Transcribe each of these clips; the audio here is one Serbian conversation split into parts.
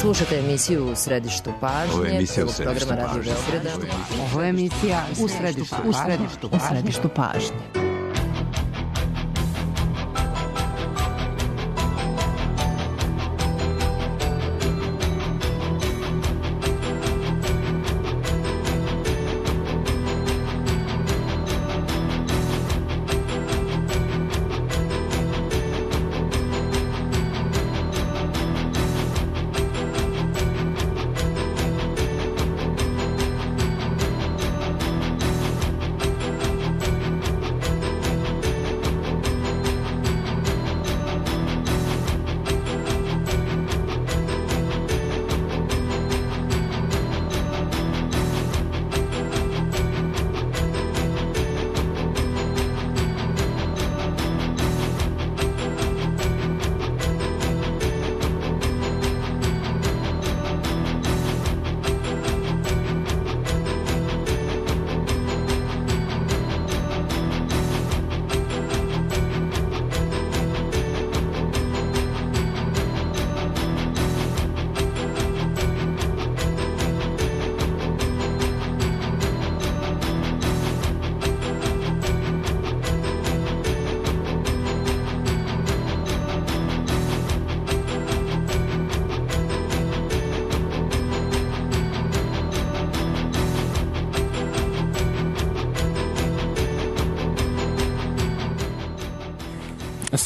Slušate emisiju U središtu pažnje, prvog programa Radio Beograda. Ovo je emisija U središtu pažnje. –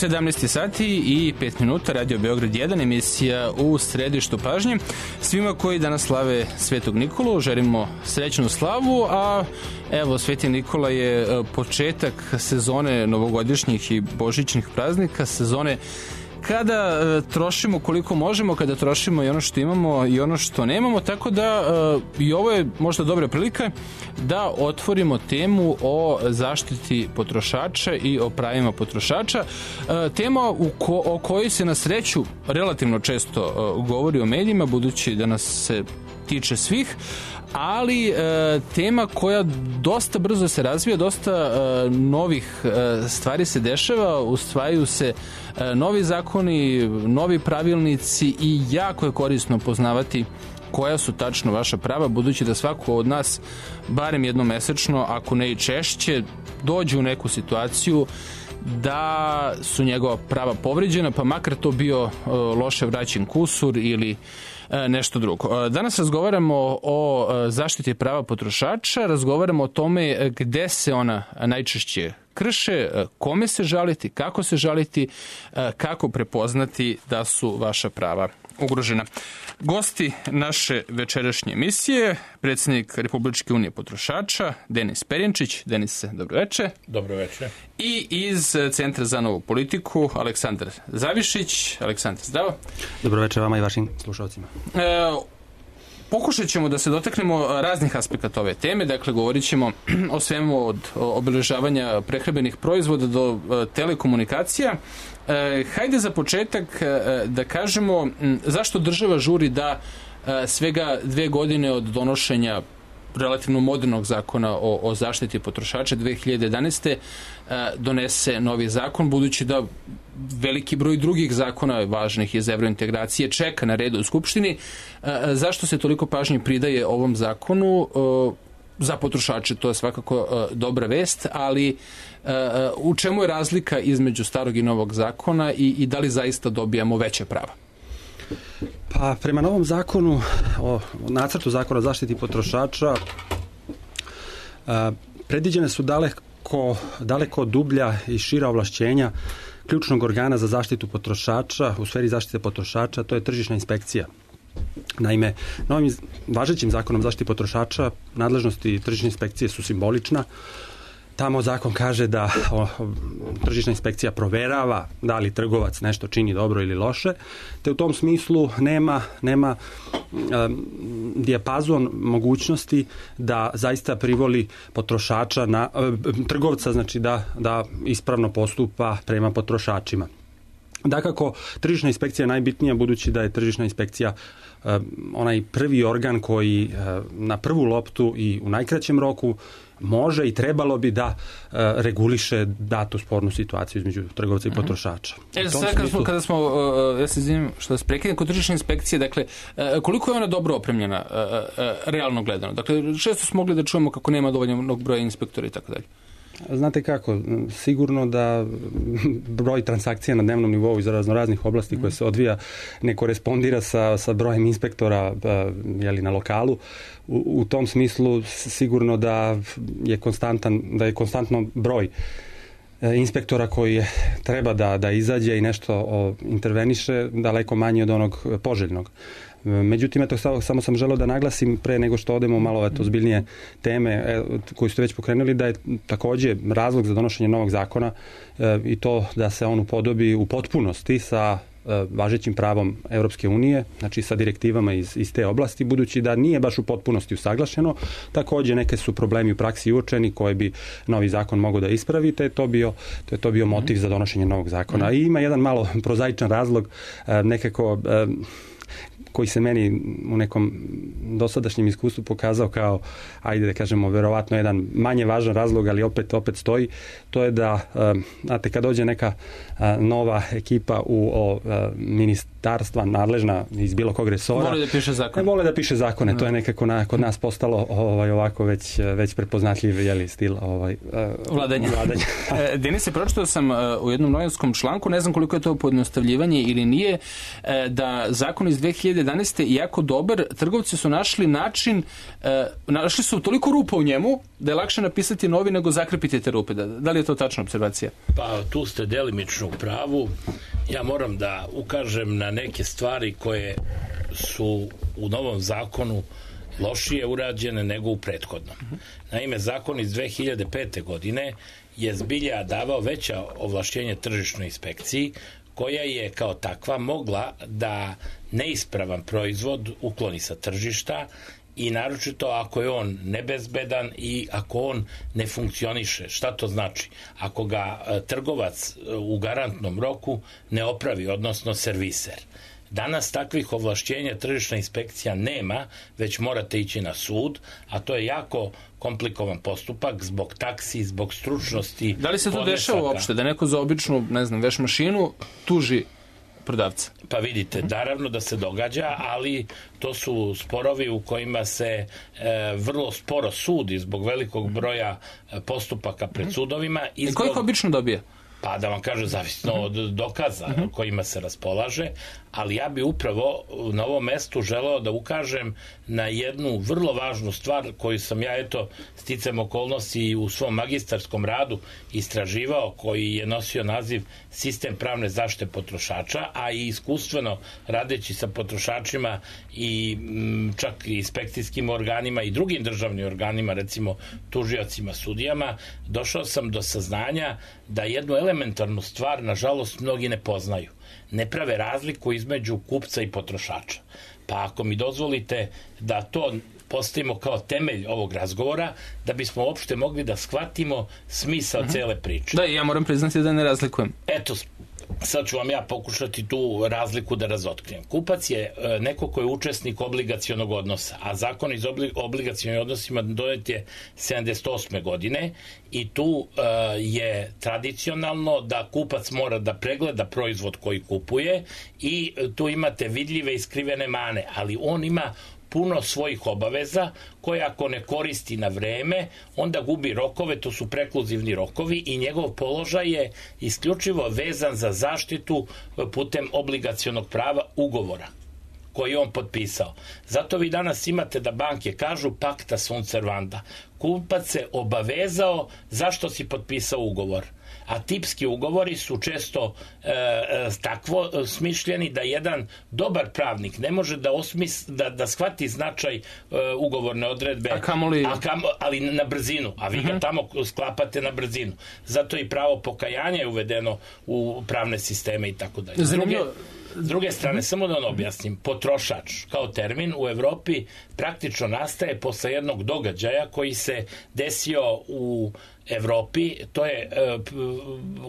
17 sati i 5 minuta, Radio Beograd 1, emisija U središtu pažnje. Svima koji danas slave Svetog Nikolu želimo srećnu slavu, a evo, Sveti Nikola je početak sezone novogodišnjih i božićnih praznika, sezone kada trošimo koliko možemo, kada trošimo i ono što imamo i ono što nemamo, tako da i ovo je možda dobra prilika da otvorimo temu o zaštiti potrošača i o pravima potrošača. Tema o kojoj se na sreću relativno često govori o medijima, budući da nas se tiče svih, ali tema koja dosta brzo se razvija, dosta novih stvari se dešava, usvajaju se novi zakoni, novi pravilnici i jako je korisno poznavati koja su tačno vaša prava, budući da svako od nas barem jednom mesečno, ako ne i češće, dođe u neku situaciju da su njegova prava povređena, pa makar to bio loše vraćen kusur ili nešto drugo. Danas razgovaramo o zaštiti prava potrošača, razgovaramo o tome gde se ona najčešće krše, kome se žaliti, kako se žaliti, kako prepoznati da su vaša prava ugrožena. Gosti naše večerašnje emisije, predsjednik Republičke unije potrošača, Denis Perjenčić. Denise, dobroveče. Dobroveče. I iz Centra za novu politiku, Aleksandar Zavišić. Aleksandar, zdravo. Dobroveče vama i vašim slušalcima. Pokušat ćemo da se dotaknemo raznih aspekata ove teme, dakle govorit ćemo o svemu od obeležavanja prehrambenih proizvoda do telekomunikacija. Hajde za početak da kažemo zašto država žuri da svega 2 godine od donošenja relativno modernog zakona o zaštiti potrošača 2011. donese novi zakon, budući da veliki broj drugih zakona važnih iz evrointegracije čeka na redu u Skupštini. Zašto se toliko pažnje pridaje ovom zakonu? Za potrošače to je svakako dobra vest, ali u čemu je razlika između starog i novog zakona i da li zaista dobijamo veće prava? Pa prema novom zakonu, o nacrtu zakona o zaštiti potrošača, predviđene su daleko dublja i šira ovlašćenja ključnog organa za zaštitu potrošača u sferi zaštite potrošača, to je tržišna inspekcija. Naime, novim važećim zakonom o zaštiti potrošača nadležnosti tržišne inspekcije su simbolična. Tamo zakon kaže da tržišna inspekcija proverava da li trgovac nešto čini dobro ili loše, te u tom smislu nema dijapazon mogućnosti da zaista privoli potrošača trgovca, znači da ispravno postupa prema potrošačima. Dakako, tržišna inspekcija je najbitnija, budući da je tržišna inspekcija onaj prvi organ koji na prvu loptu i u najkraćem roku može i trebalo bi da reguliše datu spornu situaciju između trgovca i potrošača. Kada smo, ja se izvinim što vas prekidam, kod tržišne inspekcije, dakle, koliko je ona dobro opremljena, realno gledano? Dakle, često smo mogli da čujemo kako nema dovoljnog broja inspektora i tako dalje. Znate kako, sigurno da broj transakcija na dnevnom nivou iz raznih oblasti koje se odvija ne korespondira sa brojem inspektora na lokalu. U tom smislu sigurno da je konstantno broj inspektora koji treba da izađe i nešto interveniše daleko manje od onog poželjnog. Međutim, samo sam želeo da naglasim pre nego što odemo malo ozbiljnije teme koju ste već pokrenuli, da je takođe razlog za donošenje novog zakona i to da se on upodobi u potpunosti sa važećim pravom Europske unije, znači sa direktivama iz te oblasti, budući da nije baš u potpunosti usaglašeno. Takođe neke su problemi u praksi uočeni koje bi novi zakon mogao da ispravi, te je to bio motiv za donošenje novog zakona. I ima jedan malo prozaičan razlog, nekako koji se meni u nekom dosadašnjem iskustvu pokazao kao, ajde da kažemo, verovatno jedan manje važan razlog, ali opet stoji, to je da, znate, kad dođe neka nova ekipa u ministarstva nadležna iz bilo kog resora, vole da piše zakone. To je nekako kod nas postalo ovako već prepoznatljiv stil vladanja. Denise, pročitao sam u jednom novinskom članku, ne znam koliko je to pojednostavljivanje ili nije, da zakon iz 2011. jako dobar, trgovci su našli način, našli su toliko rupa u njemu da je lakše napisati novi nego zakrpiti te rupe. Da li je to tačna observacija? Pa tu ste delimično u pravu. Ja moram da ukažem na neke stvari koje su u novom zakonu lošije urađene nego u prethodnom. Naime, zakon iz 2005. godine je zbilja davao veća ovlašćenja tržišnoj inspekciji, koja je kao takva mogla da neispravan proizvod ukloni sa tržišta i naročito ako je on nebezbedan i ako on ne funkcioniše. Šta to znači? Ako ga trgovac u garantnom roku ne opravi, odnosno serviser. Danas takvih ovlašćenja tržišna inspekcija nema, već morate ići na sud, a to je jako komplikovan postupak zbog taksi, zbog stručnosti. Da li se to dešava uopšte, da neko za običnu, veš mašinu tuži prodavca? Pa vidite, naravno da se događa, ali to su sporovi u kojima se vrlo sporo sudi zbog velikog broja postupaka pred sudovima. I ko ih obično dobija? Pa da vam kažem, zavisno od dokaza kojima se raspolaže, ali ja bi upravo na ovom mestu želeo da ukažem na jednu vrlo važnu stvar koju sam ja, sticam okolnosti u svom magistarskom radu istraživao, koji je nosio naziv Sistem pravne zaštite potrošača, a i iskustveno radeći sa potrošačima i čak i inspekcijskim organima i drugim državnim organima, recimo tužiocima, sudijama, došao sam do saznanja da jednu elementarnu stvar, nažalost, mnogi ne poznaju. Ne prave razliku između kupca i potrošača. Pa ako mi dozvolite da to postavimo kao temelj ovog razgovora, da bismo uopšte mogli da shvatimo smisao cele priče. Da, ja moram priznati da ne razlikujem. Eto, sad ću vam ja pokušati tu razliku da razotkrijem. Kupac je neko ko je učesnik obligacionog odnosa, a zakon iz obligacionih odnosima donet je 78. godine i tu je tradicionalno da kupac mora da pregleda proizvod koji kupuje i tu imate vidljive i skrivene mane, ali on ima puno svojih obaveza koje ako ne koristi na vreme, onda gubi rokove, to su prekluzivni rokovi i njegov položaj je isključivo vezan za zaštitu putem obligacionog prava ugovora koji je on potpisao. Zato vi danas imate da banke kažu pacta sunt servanda. Kupac se obavezao zašto si potpisao ugovor. A tipski ugovori su često takvo smišljeni da jedan dobar pravnik ne može da shvati značaj ugovorne odredbe, ali na brzinu, a vi ga tamo sklapate na brzinu. Zato i pravo pokajanja je uvedeno u pravne sisteme i tako dalje. S druge strane, samo da objasnim, potrošač kao termin u Evropi praktično nastaje posle jednog događaja koji se desio u Evropi, to je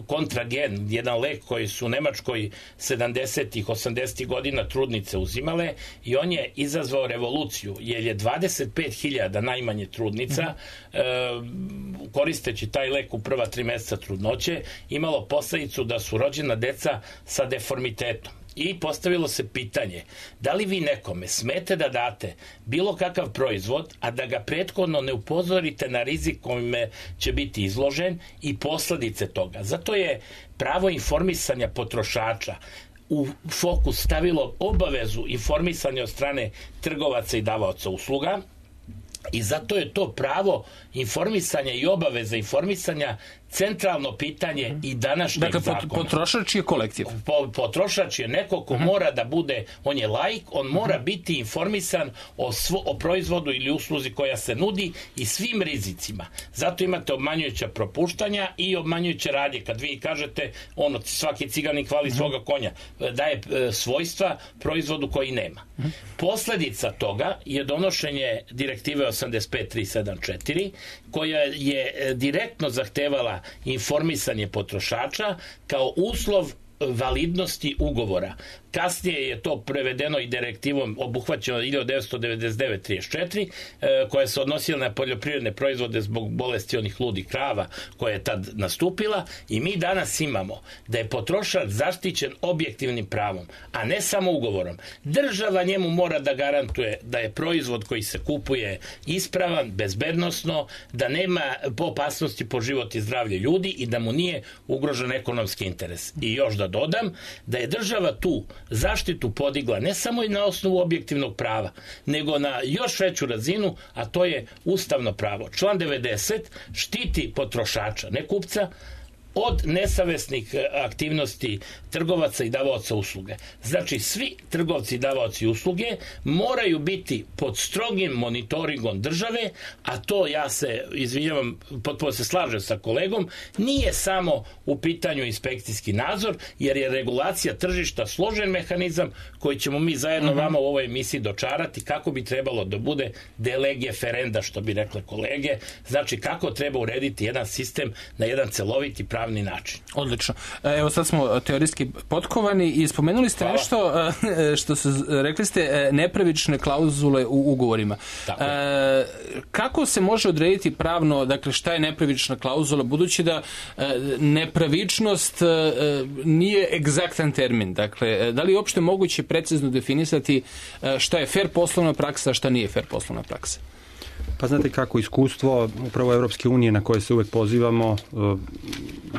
kontragen, jedan lek koji su u Nemačkoj 70-ih, 80-ih godina trudnice uzimale i on je izazvao revoluciju, jer je 25.000 najmanje trudnica koristeći taj lek u prva 3 meseca trudnoće imalo posledicu da su rođena deca sa deformitetom. I postavilo se pitanje, da li vi nekome smete da date bilo kakav proizvod, a da ga prethodno ne upozorite na rizik kojime će biti izložen i posledice toga. Zato je pravo informisanja potrošača u fokus stavilo obavezu informisanja od strane trgovaca i davaoca usluga, i zato je to pravo informisanja i obaveza informisanja centralno pitanje i današnjeg zakona. Dakle, potrošač je kolektiv. Potrošač je neko ko mora da bude, on je laik, on mora biti informisan o proizvodu ili usluzi koja se nudi i svim rizicima. Zato imate obmanjujuća propuštanja i obmanjujuće radnje. Kad vi kažete, svaki ciganik hvali svoga konja, daje svojstva proizvodu koji nema. Posledica toga je donošenje direktive 85.374, koja je direktno zahtevala informisanje potrošača kao uslov validnosti ugovora. Kasnije je to prevedeno i direktivom obuhvaćeno 1999-34, koja se odnosila na poljoprivredne proizvode zbog bolesti onih ludih krava koja je tad nastupila, i mi danas imamo da je potrošač zaštićen objektivnim pravom, a ne samo ugovorom. Država njemu mora da garantuje da je proizvod koji se kupuje ispravan, bezbednosno, da nema opasnosti po život i zdravlje ljudi i da mu nije ugrožen ekonomski interes. I još da dodam da je država tu zaštitu podigla ne samo i na osnovu objektivnog prava, nego na još veću razinu, a to je ustavno pravo. Član 90 štiti potrošača, ne kupca, od nesavesnih aktivnosti trgovaca i davaoca usluge. Znači, svi trgovci i davaoci usluge moraju biti pod strogim monitoringom države, a to, ja se izvinjavam, potpuno se slažem sa kolegom, nije samo u pitanju inspekcijski nadzor, jer je regulacija tržišta složen mehanizam koji ćemo mi zajedno vama u ovoj emisiji dočarati kako bi trebalo da bude de lege ferenda, što bi rekle kolege, znači kako treba urediti jedan sistem na jedan celoviti pravni način. Odlično. Evo sad smo teorijski potkovani i spomenuli ste nešto što se, rekli ste, nepravične klauzule u ugovorima. Kako se može odrediti pravno, dakle, šta je nepravična klauzula, budući da nepravičnost nije egzaktan termin. Dakle, da li je uopšte moguće precizno definisati šta je fair poslovna praksa, a šta nije fair poslovna praksa? Pa znate kako, iskustvo upravo Evropske unije na koje se uvek pozivamo,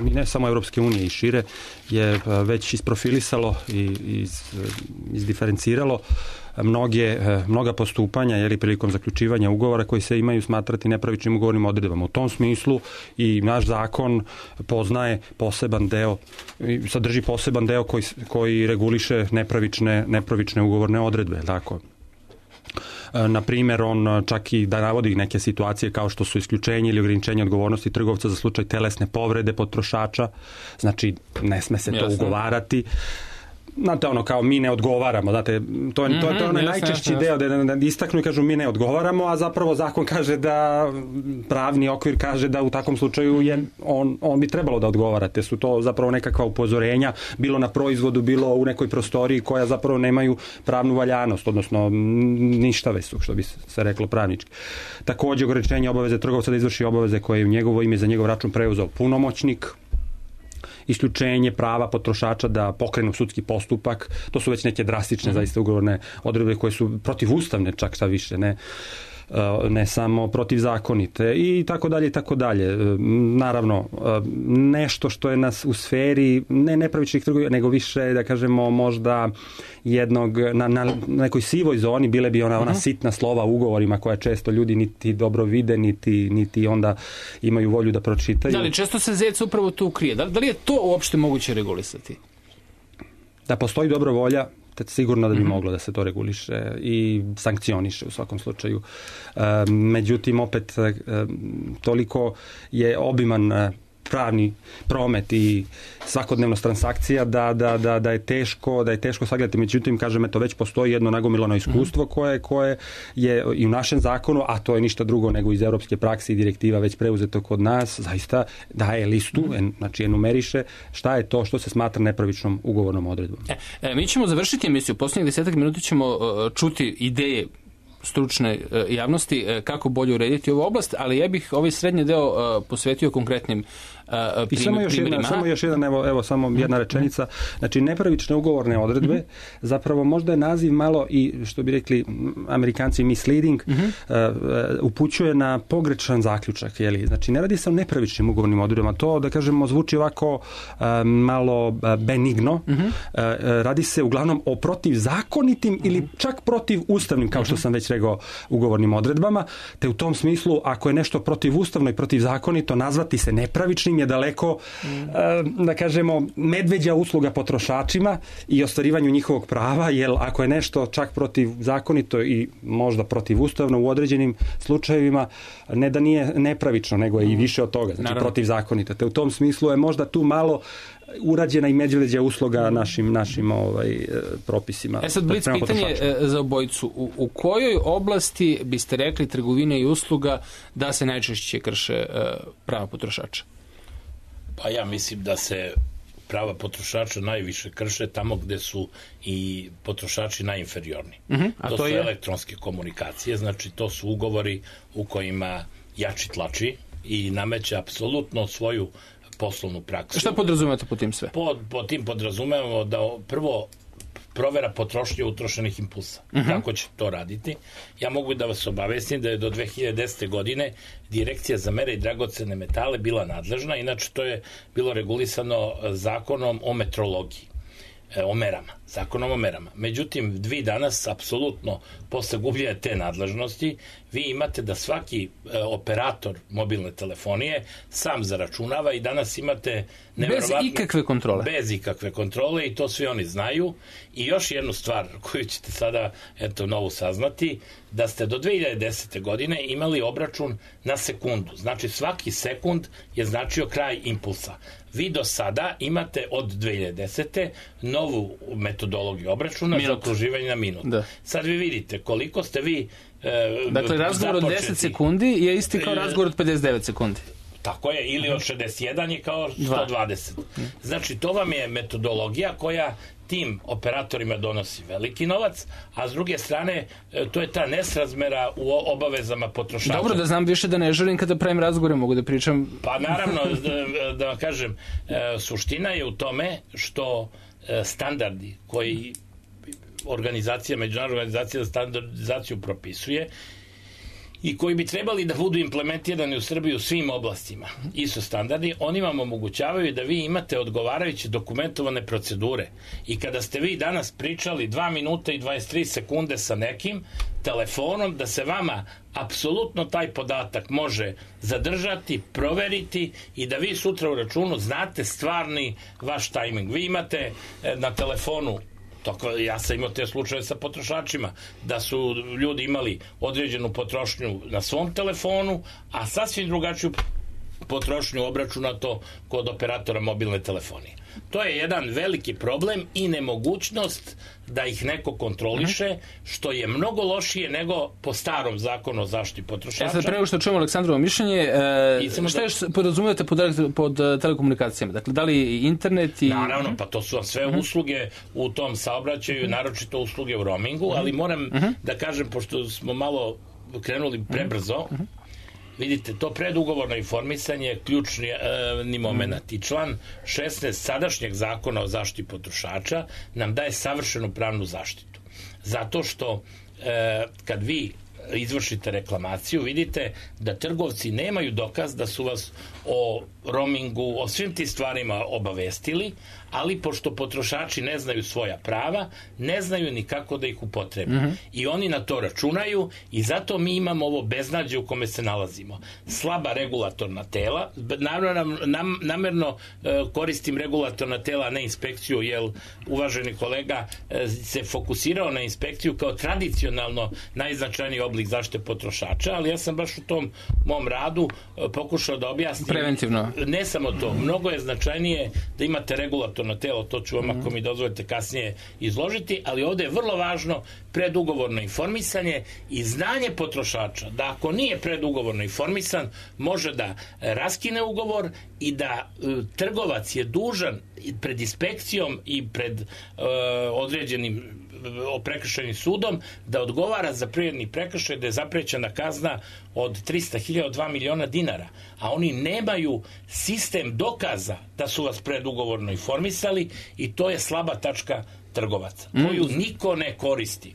i ne samo Evropske unije i šire, je već isprofilisalo i izdiferenciralo mnoga postupanja, jer i prilikom zaključivanja ugovora koji se imaju smatrati nepravičnim ugovornim odredbama. U tom smislu i naš zakon poznaje poseban deo, sadrži poseban deo koji reguliše nepravične ugovorne odredbe, tako. Na primjer, on čak i da navodi neke situacije kao što su isključenje ili ograničenje odgovornosti trgovca za slučaj telesne povrede potrošača, znači ne sme se to ugovarati. Znate, kao mi ne odgovaramo, znate, to je onaj najčešći deo da istaknu i kažu mi ne odgovaramo, a zapravo zakon kaže da, pravni okvir kaže da u takvom slučaju on bi trebalo da odgovarate. Su to zapravo nekakva upozorenja, bilo na proizvodu, bilo u nekoj prostoriji koja zapravo nemaju pravnu valjanost, odnosno ništave su, što bi se reklo pravnički. Također, ograničenje obaveze trgovca da izvrši obaveze koje je u njegovo ime za njegov račun preuzeo punomoćnik, isključenje prava potrošača da pokrenu sudski postupak, to su već neke drastične zaista ugovorne odredbe koje su protivustavne, čak šta više, ne samo protivzakonite i tako dalje i tako dalje. Naravno, nešto što je nas u sferi ne nepravičnih trgovina, nego više, da kažemo, možda jednog, na nekoj sivoj zoni bile bi ona sitna slova u ugovorima koja često ljudi niti dobro vide, niti onda imaju volju da pročitaju. Da li često se zec upravo tu krije? Da li je to uopšte moguće regulisati? Da postoji dobra volja, sigurno da bi moglo da se to reguliše i sankcioniše u svakom slučaju. Međutim, opet, toliko je obiman pravni promet i svakodnevnost transakcija da je teško sagledati. Međutim, kažem, eto, već postoji jedno nagomilano iskustvo koje je i u našem zakonu, a to je ništa drugo nego iz evropske prakse i direktiva već preuzeto kod nas, zaista daje listu, znači enumeriše šta je to što se smatra nepravičnom ugovornom odredbom. Mi ćemo završiti emisiju. Posljednjih 10 minuta ćemo čuti ideje stručne javnosti kako bolje urediti ovu oblast, ali ja bih ovaj srednji deo posvetio konkretnim primjerima. Samo još jedan, evo samo jedna rečenica. Znači, nepravične ugovorne odredbe, zapravo možda je naziv malo i, što bi rekli Amerikanci, misleading, upućuje na pogrešan zaključak. Znači, ne radi se o nepravičnim ugovornim odredbama. To, da kažemo, zvuči ovako malo benigno. Radi se uglavnom o protivzakonitim ili čak protivustavnim, kao što sam već rekao, ugovornim odredbama. Te u tom smislu, ako je nešto protivustavno i protivzakonito, nazvati se nepravičnim je daleko, da kažemo, medveđa usluga potrošačima i ostvarivanju njihovog prava, jer ako je nešto čak protivzakonito i možda protivustavno u određenim slučajevima, ne da nije nepravično, nego je i više od toga, znači protivzakonito. Te u tom smislu je možda tu malo urađena i medveđa usluga našim propisima. Sad blic pitanje za obojicu. U kojoj oblasti biste rekli trgovine i usluga da se najčešće krše prava potrošača? Pa ja mislim da se prava potrošača najviše krše tamo gde su i potrošači najinferiorni. To su elektronske komunikacije, znači to su ugovori u kojima jači tlači i nameće apsolutno svoju poslovnu praksu. Šta podrazumete po tim sve? Po tim podrazumevamo da prvo provera potrošnje utrošenih impulsa. Kako će to raditi? Ja mogu da vas obavestim da je do 2010. godine Direkcija za mere i dragocene metale bila nadležna, inače to je bilo regulisano zakonom o metrologiji, o merama, zakonom o merama. Međutim, vi danas, apsolutno, posle gubljenja te nadležnosti, vi imate da svaki operator mobilne telefonije sam zaračunava i danas imate neverovatno... Bez ikakve kontrole. Bez ikakve kontrole i to svi oni znaju. I još jednu stvar koju ćete sada, novu saznati, da ste do 2010. godine imali obračun na sekundu. Znači, svaki sekund je značio kraj impulsa. Vi do sada imate od 2010. novu metodologiju obračuna za okruživanje na minut. Sad vi vidite koliko ste vi dakle, razgovor od 10 sekundi je isti kao razgovor od 59 sekundi. Tako je, ili od 61 je kao 120. Znači, to vam je metodologija koja tim operatorima donosi veliki novac, a s druge strane, to je ta nesrazmera u obavezama potrošača. Dobro, da znam više da ne želim kada pravim razgovore, mogu da pričam... Pa naravno, da vam kažem, suština je u tome što standardi koji međunarodna organizacija za standardizaciju propisuje i koji bi trebali da budu implementirani u Srbiji u svim oblastima, ISO standardi, oni vam omogućavaju da vi imate odgovarajuće dokumentovane procedure. I kada ste vi danas pričali 2 minuta i 23 sekunde sa nekim telefonom, da se vama apsolutno taj podatak može zadržati, proveriti i da vi sutra u računu znate stvarni vaš tajming. Vi imate na telefonu, ja sam imao te slučaje sa potrošačima, da su ljudi imali određenu potrošnju na svom telefonu, a sasvim drugačiju potrošnju obračunato kod operatora mobilne telefonije. To je jedan veliki problem i nemogućnost da ih neko kontroliše, što je mnogo lošije nego po starom zakonu o zaštiti potrošača. Sad pre nego što čujemo Aleksandrovo mišljenje, šta još podrazumijete pod telekomunikacijama? Dakle, da li internet i... Naravno, pa to su sve usluge u tom saobraćaju, naročito usluge u roamingu, ali moram da kažem, pošto smo malo krenuli prebrzo, vidite, to predugovorno informisanje je ključni moment i član 16 sadašnjeg zakona o zaštiti potrošača nam daje savršenu pravnu zaštitu. Zato što kad vi izvršite reklamaciju, vidite da trgovci nemaju dokaz da su vas o roamingu, o svim tim stvarima obavestili, ali pošto potrošači ne znaju svoja prava, ne znaju ni kako da ih upotrebe. I oni na to računaju i zato mi imamo ovo beznađe u kome se nalazimo. Slaba regulatorna tela, namerno koristim regulatorna tela, a ne inspekciju, jer uvaženi kolega se fokusirao na inspekciju kao tradicionalno najznačajniji oblik zaštite potrošača, ali ja sam baš u tom mom radu pokušao da objasnim. Preventivno. Ne samo to, mnogo je značajnije da imate regulatorno telo, to ću vam ako mi dozvolite kasnije izložiti, ali ovde je vrlo važno predugovorno informisanje i znanje potrošača, da ako nije predugovorno informisan, može da raskine ugovor i da trgovac je dužan pred inspekcijom i pred određenim prekršajnim sudom da odgovara za privredni prekršaj, da je zaprećena kazna od 300.000 do 2 miliona dinara, a oni nemaju sistem dokaza da su vas predugovorno informisali i to je slaba tačka trgovaca, koju niko ne koristi.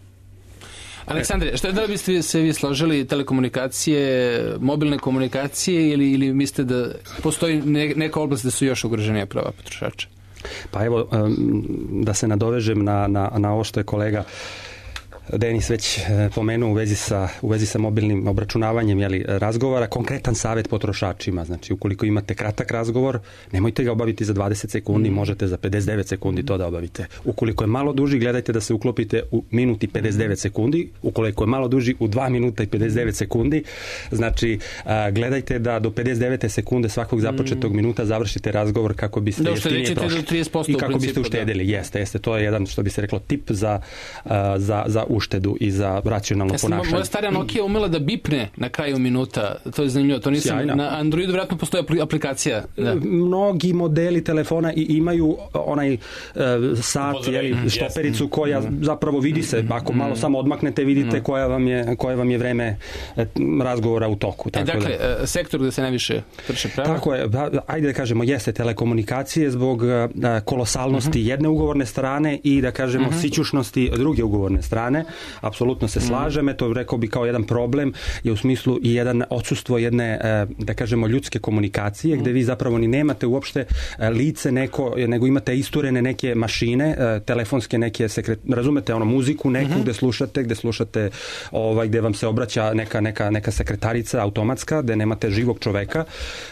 Aleksandre, da li biste se vi složili telekomunikacije, mobilne komunikacije ili mislite da postoji neka oblast da su još ugroženija prava potrošača? Pa evo, da se nadovežem na ovo što je kolega Denis već pomenuo u vezi sa mobilnim obračunavanjem razgovora, konkretan savjet potrošačima. Znači, ukoliko imate kratak razgovor, nemojte ga obaviti za 20 sekundi, možete za 59 sekundi to da obavite. Ukoliko je malo duži, gledajte da se uklopite u minut i 59 sekundi. Ukoliko je malo duži, u 2 minuta i 59 sekundi. Znači, gledajte da do 59 sekunde svakog započetog minuta završite razgovor kako biste jeftinije prošli. I kako biste uštedili. Jeste. To je jedan, što bi se reklo, tip za uštedu i za racionalno ponašanje. Moja starija Nokia umela da bipne na kraju minuta. To je zanimljivo. To nisam, na Androidu vjerojatno postoji aplikacija. Da. Mnogi modeli telefona i imaju onaj sat, štopericu koja zapravo vidi se. Ako malo samo odmaknete, vidite koje vam je vreme razgovora u toku. Dakle, sektor gde se najviše krše prava? Tako je. Ajde da kažemo, jeste telekomunikacije zbog kolosalnosti jedne ugovorne strane i da kažemo sićušnosti druge ugovorne strane. Apsolutno se slažem, to rekao bi kao jedan problem je u smislu i jedan odsustvo jedne, da kažemo, ljudske komunikacije, gde vi zapravo ni nemate uopšte lice neko, nego imate isturene neke mašine, telefonske neke razumete, muziku neku gde slušate gde vam se obraća neka sekretarica automatska, gde nemate živog čoveka,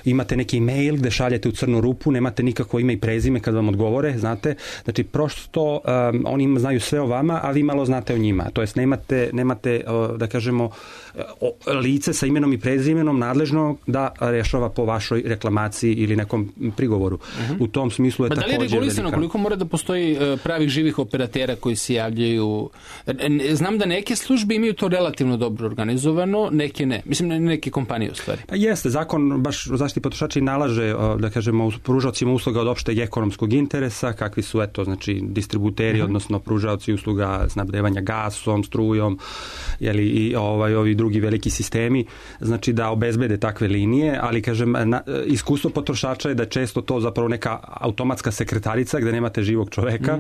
imate neki mail gde šaljete u crnu rupu, nemate nikakvo ime i prezime kad vam odgovore, znate, znači prosto oni znaju sve o vama, a vi malo znate o njima. To jest nemate, da kažemo, lice sa imenom i prezimenom nadležno da rešava po vašoj reklamaciji ili nekom prigovoru. U tom smislu je također velika. Da li je regulisano koliko mora da postoji pravih živih operatera koji se javljaju? Znam da neke službe imaju to relativno dobro organizovano, neke ne. Mislim, neke kompanije u stvari. Pa jeste, zakon baš o zaštiti potrošača i nalaže, da kažemo, pružaocima usluga od opšteg ekonomskog interesa, kakvi su, znači, distributeri, odnosno pružaoci usluga snabdevanja gasom, strujom, i ovi drugi veliki sistemi, znači da obezbede takve linije, ali kažem, iskustvo potrošača je da često to zapravo neka automatska sekretarica gde nemate živog čoveka.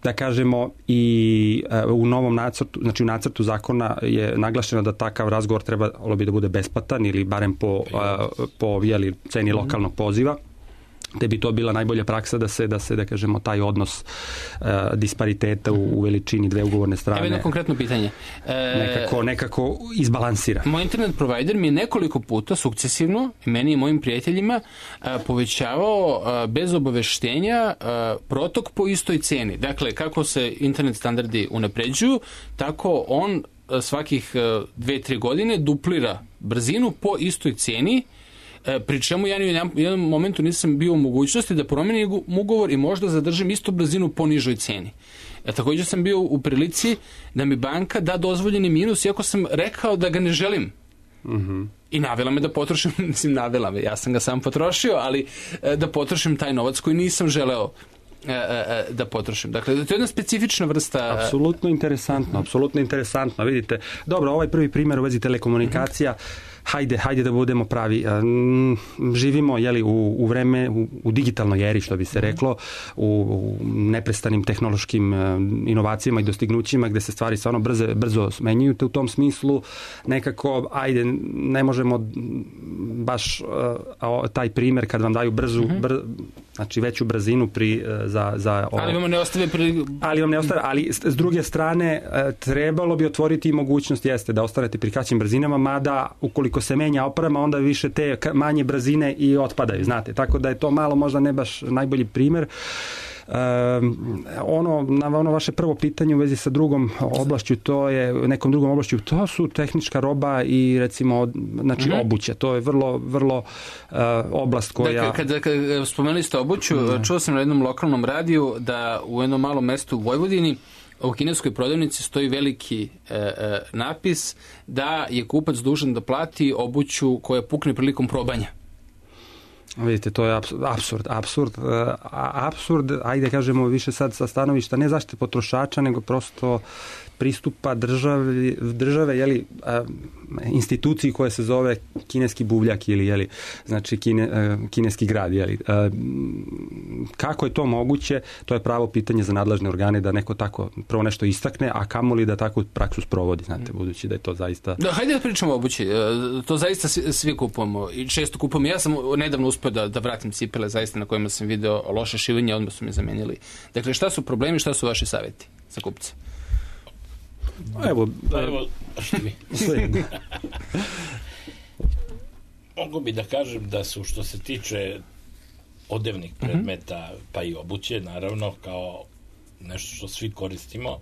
Da kažemo, i u novom nacrtu, znači u nacrtu zakona je naglašeno da takav razgovor trebalo bi da bude besplatan ili barem po ceni lokalnog poziva, te bi to bila najbolja praksa da kažemo, taj odnos dispariteta u veličini dve ugovorne strane. Evo jedno konkretno pitanje. Nekako izbalansira. Moj internet provider mi je nekoliko puta sukcesivno, meni i mojim prijateljima, povećavao bez obaveštenja protok po istoj ceni. Dakle, kako se internet standardi unapređuju, tako on svakih 2-3 godine duplira brzinu po istoj ceni, pri čemu ja u jednom momentu nisam bio u mogućnosti da promenim ugovor i možda zadržim istu brzinu po nižoj ceni. Također sam bio u prilici da mi banka da dozvoljeni minus, iako sam rekao da ga ne želim. I navela me da potrošim, navela me, ja sam ga sam potrošio, ali da potrošim taj novac koji nisam želeo da potrošim. Dakle, to je jedna specifična vrsta... Apsolutno interesantno. Vidite, dobro, ovaj prvi primjer u vezi telekomunikacija, hajde da budemo pravi. Živimo u vreme, u digitalnoj eri, što bi se reklo, u neprestanim tehnološkim inovacijama i dostignućima gde se stvari stvarno brzo smenjuju. Te u tom smislu nekako, ne možemo baš taj primer kad vam daju znači veću brzinu ali vam ne ostave, ali s druge strane trebalo bi otvoriti mogućnost da ostanete pri kraćim brzinama, mada ukoliko se menja oprema, onda više te manje brzine i otpadaju, znate, tako da je to malo možda ne baš najbolji primer. Ono vaše prvo pitanje u vezi sa drugom oblašću, nekom drugom oblašću, to su tehnička roba i recimo obuća, to je vrlo oblast koja... Kada spomenuli ste obuću, čuo sam na jednom lokalnom radiju da u jednom malom mestu u Vojvodini u kineskoj prodavnici stoji veliki napis da je kupac dužan da plati obuću koja pukne prilikom probanja. Vidite, to je apsurd, ajde kažemo više sad sa stanovišta ne zaštite potrošača, nego prosto pristupa države instituciji koja se zove kineski buvljak ili znači kineski grad. Kako je to moguće? To je pravo pitanje za nadležne organe da neko tako prvo nešto istakne, a kamoli da takvu praksu sprovodi, znate, budući da je to zaista... Hajde da pričamo o obući. To zaista svi kupujemo i često kupujemo. Ja sam nedavno uspio da vratim cipele zaista na kojima sam video loše šivanje, odmah su me zamenili. Dakle, šta su problemi, šta su vaši savjeti za kupce? Evo mogu bi da kažem da su, što se tiče odevnih predmeta, pa i obuće, naravno, kao nešto što svi koristimo,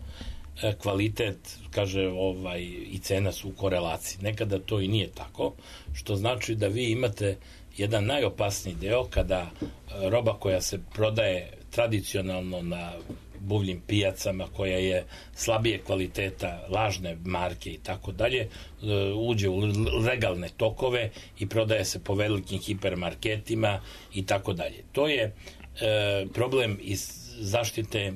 kvalitet, i cena su u korelaciji. Nekada to i nije tako, što znači da vi imate jedan najopasniji deo kada roba koja se prodaje tradicionalno na buvljim pijacama, koja je slabije kvaliteta, lažne marke i tako dalje, uđe u legalne tokove i prodaje se po velikim hipermarketima i tako dalje. To je problem iz zaštite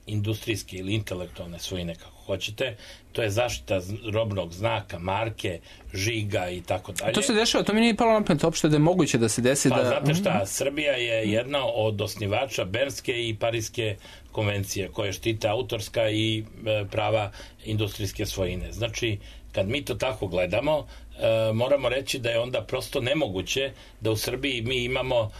industrijske ili intelektualne svojine, kako hoćete. To je zaštita robnog znaka, marke, žiga i tako dalje. To se dešava, to mi nije palo na pamet uopšte da je moguće da se desi da... Pa znate šta, Srbija je jedna od osnivača Bernske i Pariske konvencije koje štite autorska i prava industrijske svojine. Znači, kad mi to tako gledamo, moramo reći da je onda prosto nemoguće da u Srbiji mi imamo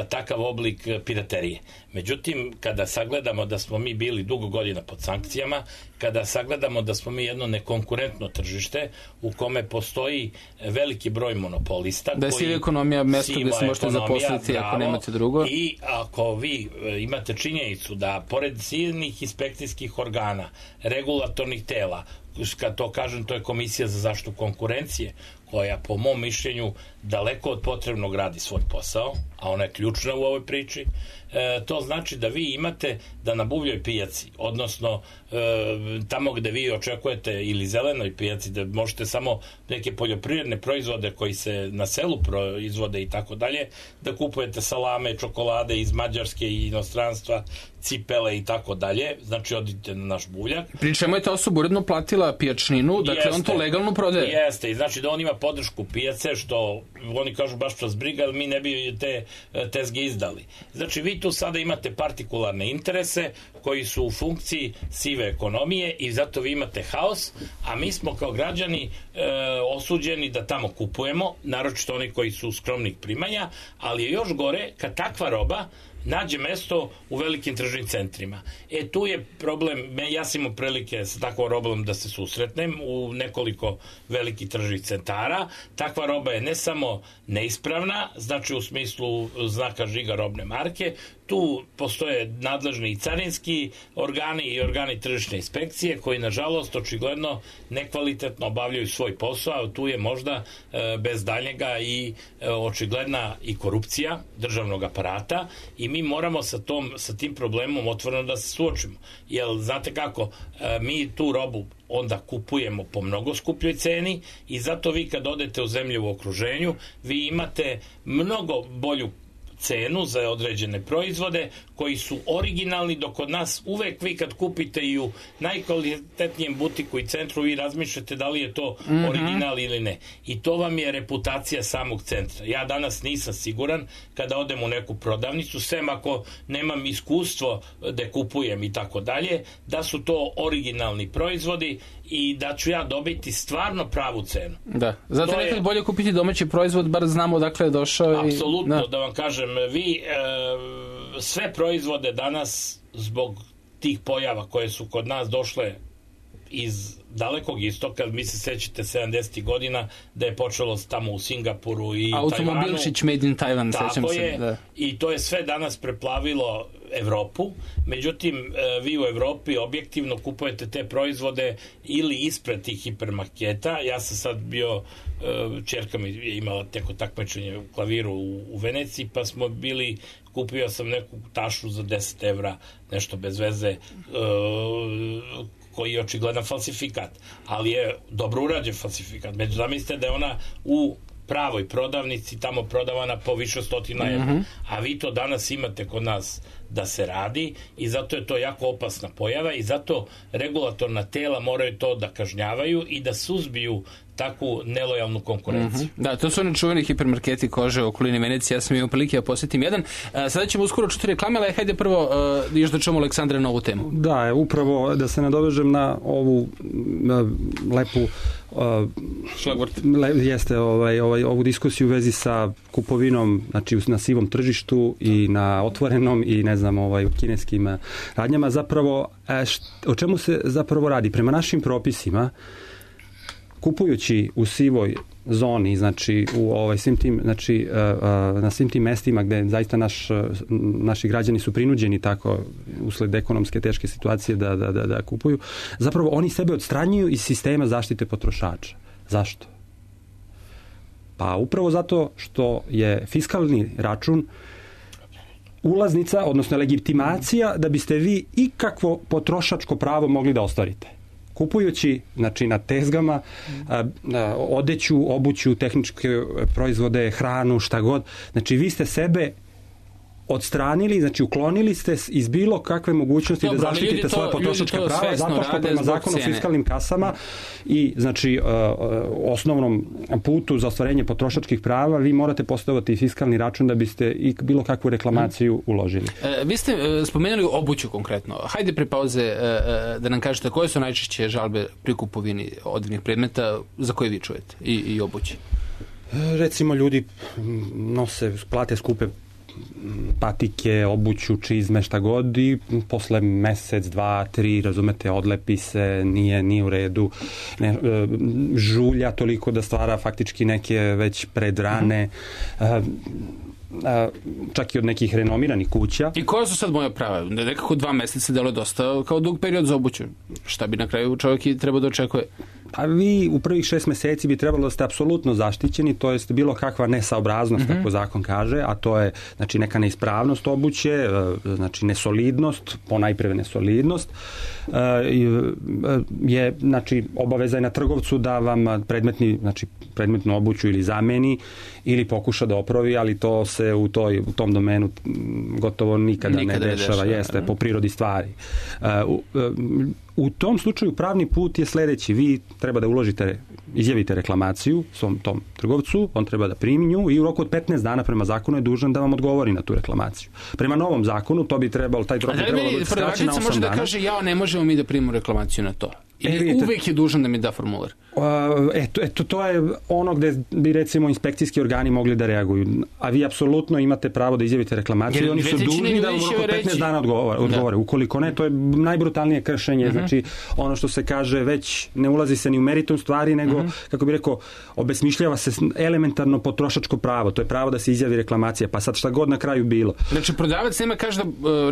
takav oblik piraterije. Međutim, kada sagledamo da smo mi bili dugo godina pod sankcijama, kada sagledamo da smo mi jedno nekonkurentno tržište u kome postoji veliki broj monopolista, da je siva ekonomija mesto gde se možete zaposliti ako nemate drugo, i ako vi imate činjenicu da pored silnih inspekcijskih organa, regulatornih tela, kad to kažem, to je Komisija za zaštitu konkurencije, koja po mom mišljenju daleko od potrebnog radi svoj posao, a ona je ključna u ovoj priči, to znači da vi imate da na buvljoj pijaci, odnosno tamo gde vi očekujete, ili zelenoj pijaci, da možete samo neke poljoprivredne proizvode koji se na selu proizvode i tako dalje, da kupujete salame, čokolade iz Mađarske i inostranstva, cipele i tako dalje, znači odite na naš buvljak. Pričamo je ta osoba uredno platila pijačninu, dakle on to legalno prodaje. Jeste, i znači da on ima podršku pijace, što oni kažu baš vas briga, ali mi ne bi te tezge izdali. Znači vi tu sada imate partikularne interese koji su u funkciji sive ekonomije i zato vi imate haos, a mi smo kao građani osuđeni da tamo kupujemo, naročito oni koji su skromnih primanja, ali je još gore kad takva roba nađe mesto u velikim tržnim centrima. Tu je problem, ja sam imao prilike sa takvom robom da se susretnem u nekoliko velikih tržnih centara. Takva roba je ne samo neispravna, znači u smislu znaka žiga robne marke, tu postoje nadležni i carinski organi i organi tržišne inspekcije koji nažalost očigledno nekvalitetno obavljaju svoj posao, a tu je možda bez daljnjega i očigledna i korupcija državnog aparata i mi moramo sa tim problemom otvoreno da se suočimo. Jer znate kako, mi tu robu onda kupujemo po mnogo skupljoj ceni i zato vi kad odete u zemlje u okruženju, vi imate mnogo bolju cenu za određene proizvode koji su originalni, dok kod nas uvek vi kad kupite i u najkvalitetnijem butiku i centru vi razmišljate da li je to original ili ne. I to vam je reputacija samog centra. Ja danas nisam siguran kada odem u neku prodavnicu, sem ako nemam iskustvo da kupujem i tako dalje, da su to originalni proizvodi i da ću ja dobiti stvarno pravu cenu. Da, zato je nekad bolje kupiti domaći proizvod, bar znamo odakle je došao. Apsolutno, da vam kažem, vi sve proizvode danas zbog tih pojava koje su kod nas došle iz dalekog istoka, mi se sećate 70. godina da je počelo tamo u Singapuru i Tajvanu. Automobilčić made in Taiwan, sećam se. Je, da. I to je sve danas preplavilo Evropu, međutim vi u Evropi objektivno kupujete te proizvode ili ispred tih hipermarketa. Ja sam sad bio, ćerka mi je imala teko takmičenje u klaviru u Veneciji, pa smo bili, kupio sam neku tašu za 10 evra, nešto bez veze, koji je očigledan falsifikat, ali je dobro urađen falsifikat. Među zamislite da je ona u pravoj prodavnici tamo prodavana po više 100 evra. A vi to danas imate kod nas da se radi i zato je to jako opasna pojava i zato regulatorna tela moraju to da kažnjavaju i da suzbiju takvu nelojalnu konkurenciju. Da, to su oni čuveni hipermarketi kože u okolini Venecije. Ja sam imao prilike da posjetim jedan. Sada ćemo uskoro čuti reklame, ali hajde prvo još da čujemo Aleksandra na ovu temu. Da, upravo da se nadovežem na ovu lepu jeste ovu diskusiju u vezi sa kupovinom, znači na sivom tržištu i na otvorenom i ne znam kineskim radnjama. Zapravo o čemu se zapravo radi? Prema našim propisima, kupujući u sivoj zoni, znači u svim tim, znači na svim tim mestima gde zaista naši građani su prinuđeni tako usled ekonomske teške situacije da kupuju, zapravo oni sebe odstranjuju iz sistema zaštite potrošača. Zašto? Pa upravo zato što je fiskalni račun ulaznica, odnosno legitimacija da biste vi ikakvo potrošačko pravo mogli da ostvarite. Kupujući, znači na tezgama, odeću, obuću, tehničke proizvode, hranu, šta god, znači vi ste sebe odstranili, znači uklonili ste iz bilo kakve mogućnosti da zaštitite svoje potrošačka prava, zato što prema zakonu o fiskalnim kasama i znači osnovnom putu za ostvarenje potrošačkih prava vi morate postaviti fiskalni račun da biste i bilo kakvu reklamaciju uložili. Vi ste spomenuli obuću konkretno. Hajde pre pauze da nam kažete koje su najčešće žalbe pri kupovini određenih predmeta za koje vi čujete i obući. Recimo ljudi plate skupe patike, obuću, čizme, šta god i posle mesec, 2, 3, razumete, odlepi se, nije u redu, žulja toliko da stvara faktički neke već predrane, čak i od nekih renomiranih kuća. I koja su sad moja prava? Nekako 2 meseca delo je dosta kao dug period za obuću. Šta bi na kraju čovjek i trebao da očekuje? Pa vi u prvih 6 meseci bi trebalo da ste apsolutno zaštićeni, to jest bilo kakva nesaobraznost, kako zakon kaže, a to je znači neka neispravnost obuće, znači nesolidnost, ponajprve nesolidnost, je znači obaveza je na trgovcu da vam predmetnu obuću ili zameni ili pokuša da opravi, ali to se u tom domenu gotovo nikada ne dešava, jeste po prirodi stvari. U tom slučaju pravni put je sledeći. Vi treba da izjavite reklamaciju svom tom trgovcu, on treba da primi nju i u roku od 15 dana prema zakonu je dužan da vam odgovori na tu reklamaciju. Prema novom zakonu to bi trebalo, taj rok bi trebalo da skraći na 8 dana. Može da kaže ne možemo mi da primimo reklamaciju na to. Ili uvek je dužan da mi da formular? To je ono gde bi recimo inspekcijski organi mogli da reaguju. A vi apsolutno imate pravo da izjavite reklamaciju i oni su dužni da u roku 15 dana odgovore. Ukoliko ne, to je najbrutalnije kršenje. Znači, ono što se kaže, već ne ulazi se ni u meritum stvari, nego, kako bi rekao, obesmišljava se elementarno potrošačko pravo. To je pravo da se izjavi reklamacija. Pa sad šta god na kraju bilo. Znači, prodavac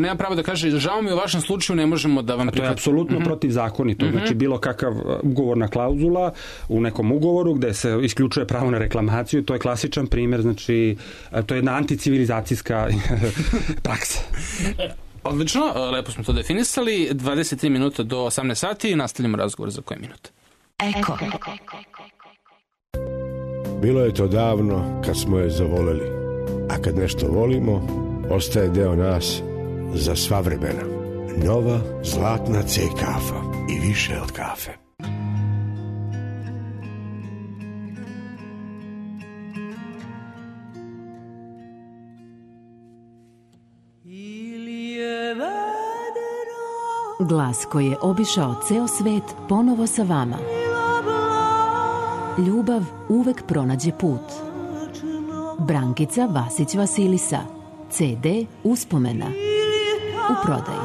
nema pravo da kaže, žao mi u vašem slučaju ne možemo da vam prihvatimo. To je apsolutno protivzakonito. Znači, bilo kakav ugovorna klauzula u nekom ugovoru gde se isključuje pravo na reklamaciju, to je klasičan primjer, znači to je jedna anticivilizacijska praksa. Odlično, lepo smo to definisali. 23 minuta do 18 sati i nastavljamo razgovor za koje minute. Eko. Bilo je to davno kad smo je zavoleli, a kad nešto volimo, ostaje deo nas za sva vremena. Nova zlatna C kafa i više od kafe. Glas koji je obišao ceo svet ponovo sa vama. Ljubav uvek pronađe put. Brankica Vasić Vasilisa. CD Uspomena. U prodaji.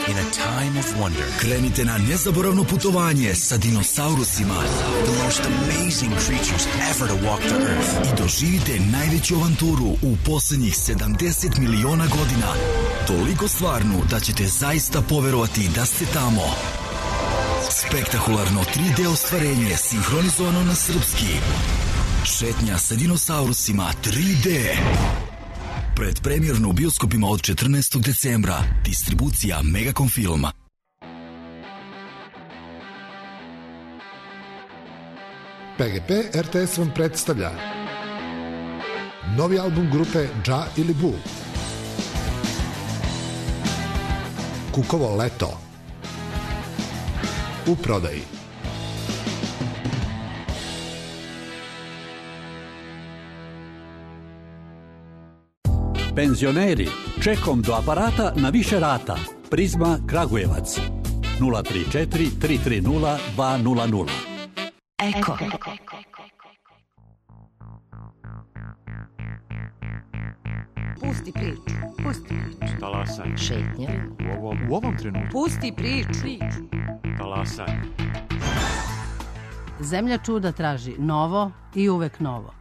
In a time of wonder, krenite na nezaboravno putovanje sa dinosaurusima. The most amazing creatures ever to walk the earth. I doživite najveću avanturu u posljednjih 70 miliona godina. Toliko stvarnu da ćete zaista poverovati da ste tamo. Spektakularno 3D ostvarenje sinhronizovano na srpski. Šetnja sa dinosaurusima 3D. Predpremjerno u bioskopima od 14. decembra. Distribucija Megacom Filma. PGP RTS vam predstavlja novi album grupe Dža ili Bu. Kukovo leto. U prodaji. Penzioneri, čekom do aparata na više rata. Prizma Kragujevac. 034 330 200. Eko. Pusti priču. Pusti priču. Talasaj. Šetnja. U ovom trenutku. Pusti priču. Talasaj. Zemlja čuda traži novo i uvek novo.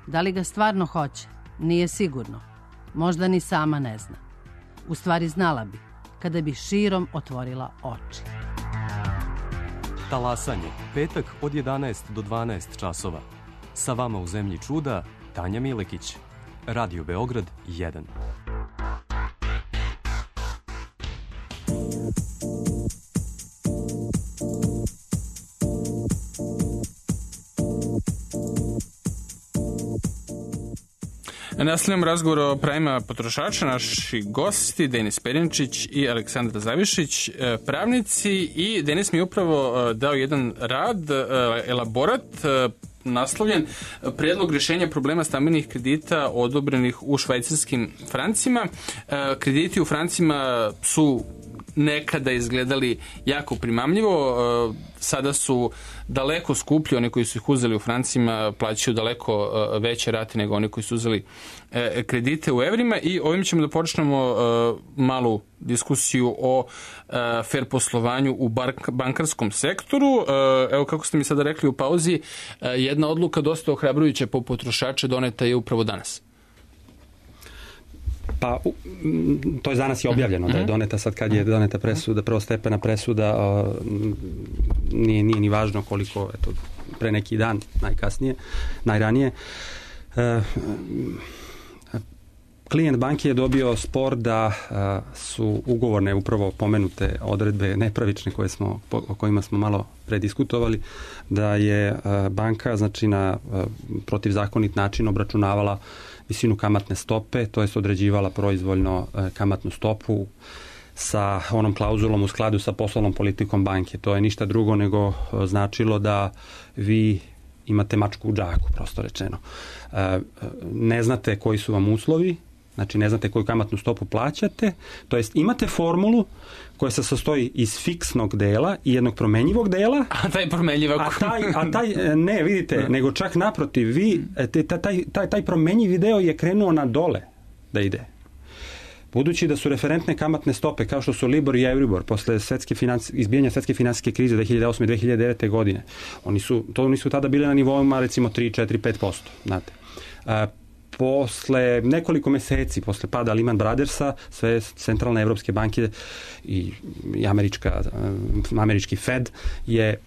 Da li ga stvarno hoće? Nije sigurno. Možda ni sama ne zna. U stvari znala bi, kada bi širom otvorila oči. Talasanje, petak od 11 do 12 časova. Sa vama u Zemlji čuda, Tanja Milekić. Radio Beograd 1. Nastavljamo razgovor o pravima potrošača. Naši gosti, Denis Perinčić i Aleksandra Zavišić, pravnici, i Denis mi je upravo dao jedan rad, elaborat, naslovljen Predlog rješenja problema stambenih kredita odobrenih u švajcarskim francima. Krediti u francima su nekada izgledali jako primamljivo, sada su daleko skuplji, oni koji su ih uzeli u francima plaćaju daleko veće rate nego oni koji su uzeli kredite u evrima, i ovim ćemo da počnemo malu diskusiju o fair poslovanju u bankarskom sektoru. Evo, kako ste mi sada rekli u pauzi, jedna odluka dosta ohrabrujuća po potrošače doneta je upravo danas. Pa, to je danas je objavljeno da je doneta, sad kad je doneta presuda, prvostepena presuda, nije ni važno koliko, eto, pre neki dan, najranije. Klijent banke je dobio spor da su ugovorne upravo pomenute odredbe nepravične o kojima smo malo prediskutovali, da je banka, znači, na protivzakonit način obračunavala visinu kamatne stope, to jest određivala proizvoljno kamatnu stopu sa onom klauzulom u skladu sa poslovnom politikom banke. To je ništa drugo nego značilo da vi imate mačku u džaku, prosto rečeno. Ne znate koji su vam uslovi, znači ne znate koju kamatnu stopu plaćate, to jest imate formulu koja se sastoji iz fiksnog dela i jednog promenjivog dela. A taj promenjivog? A taj ne, vidite, nego čak naprotiv, vi, taj promenjivi deo je krenuo na dole da ide. Budući da su referentne kamatne stope, kao što su Libor i Euribor, posle izbijanja svetske finansijske krize 2008. i 2009. godine, oni su tada bile na nivoima recimo 3, 4, 5%. Znate. Posle nekoliko meseci, posle pada Lehman Brothersa, sve centralne evropske banke i američki Fed je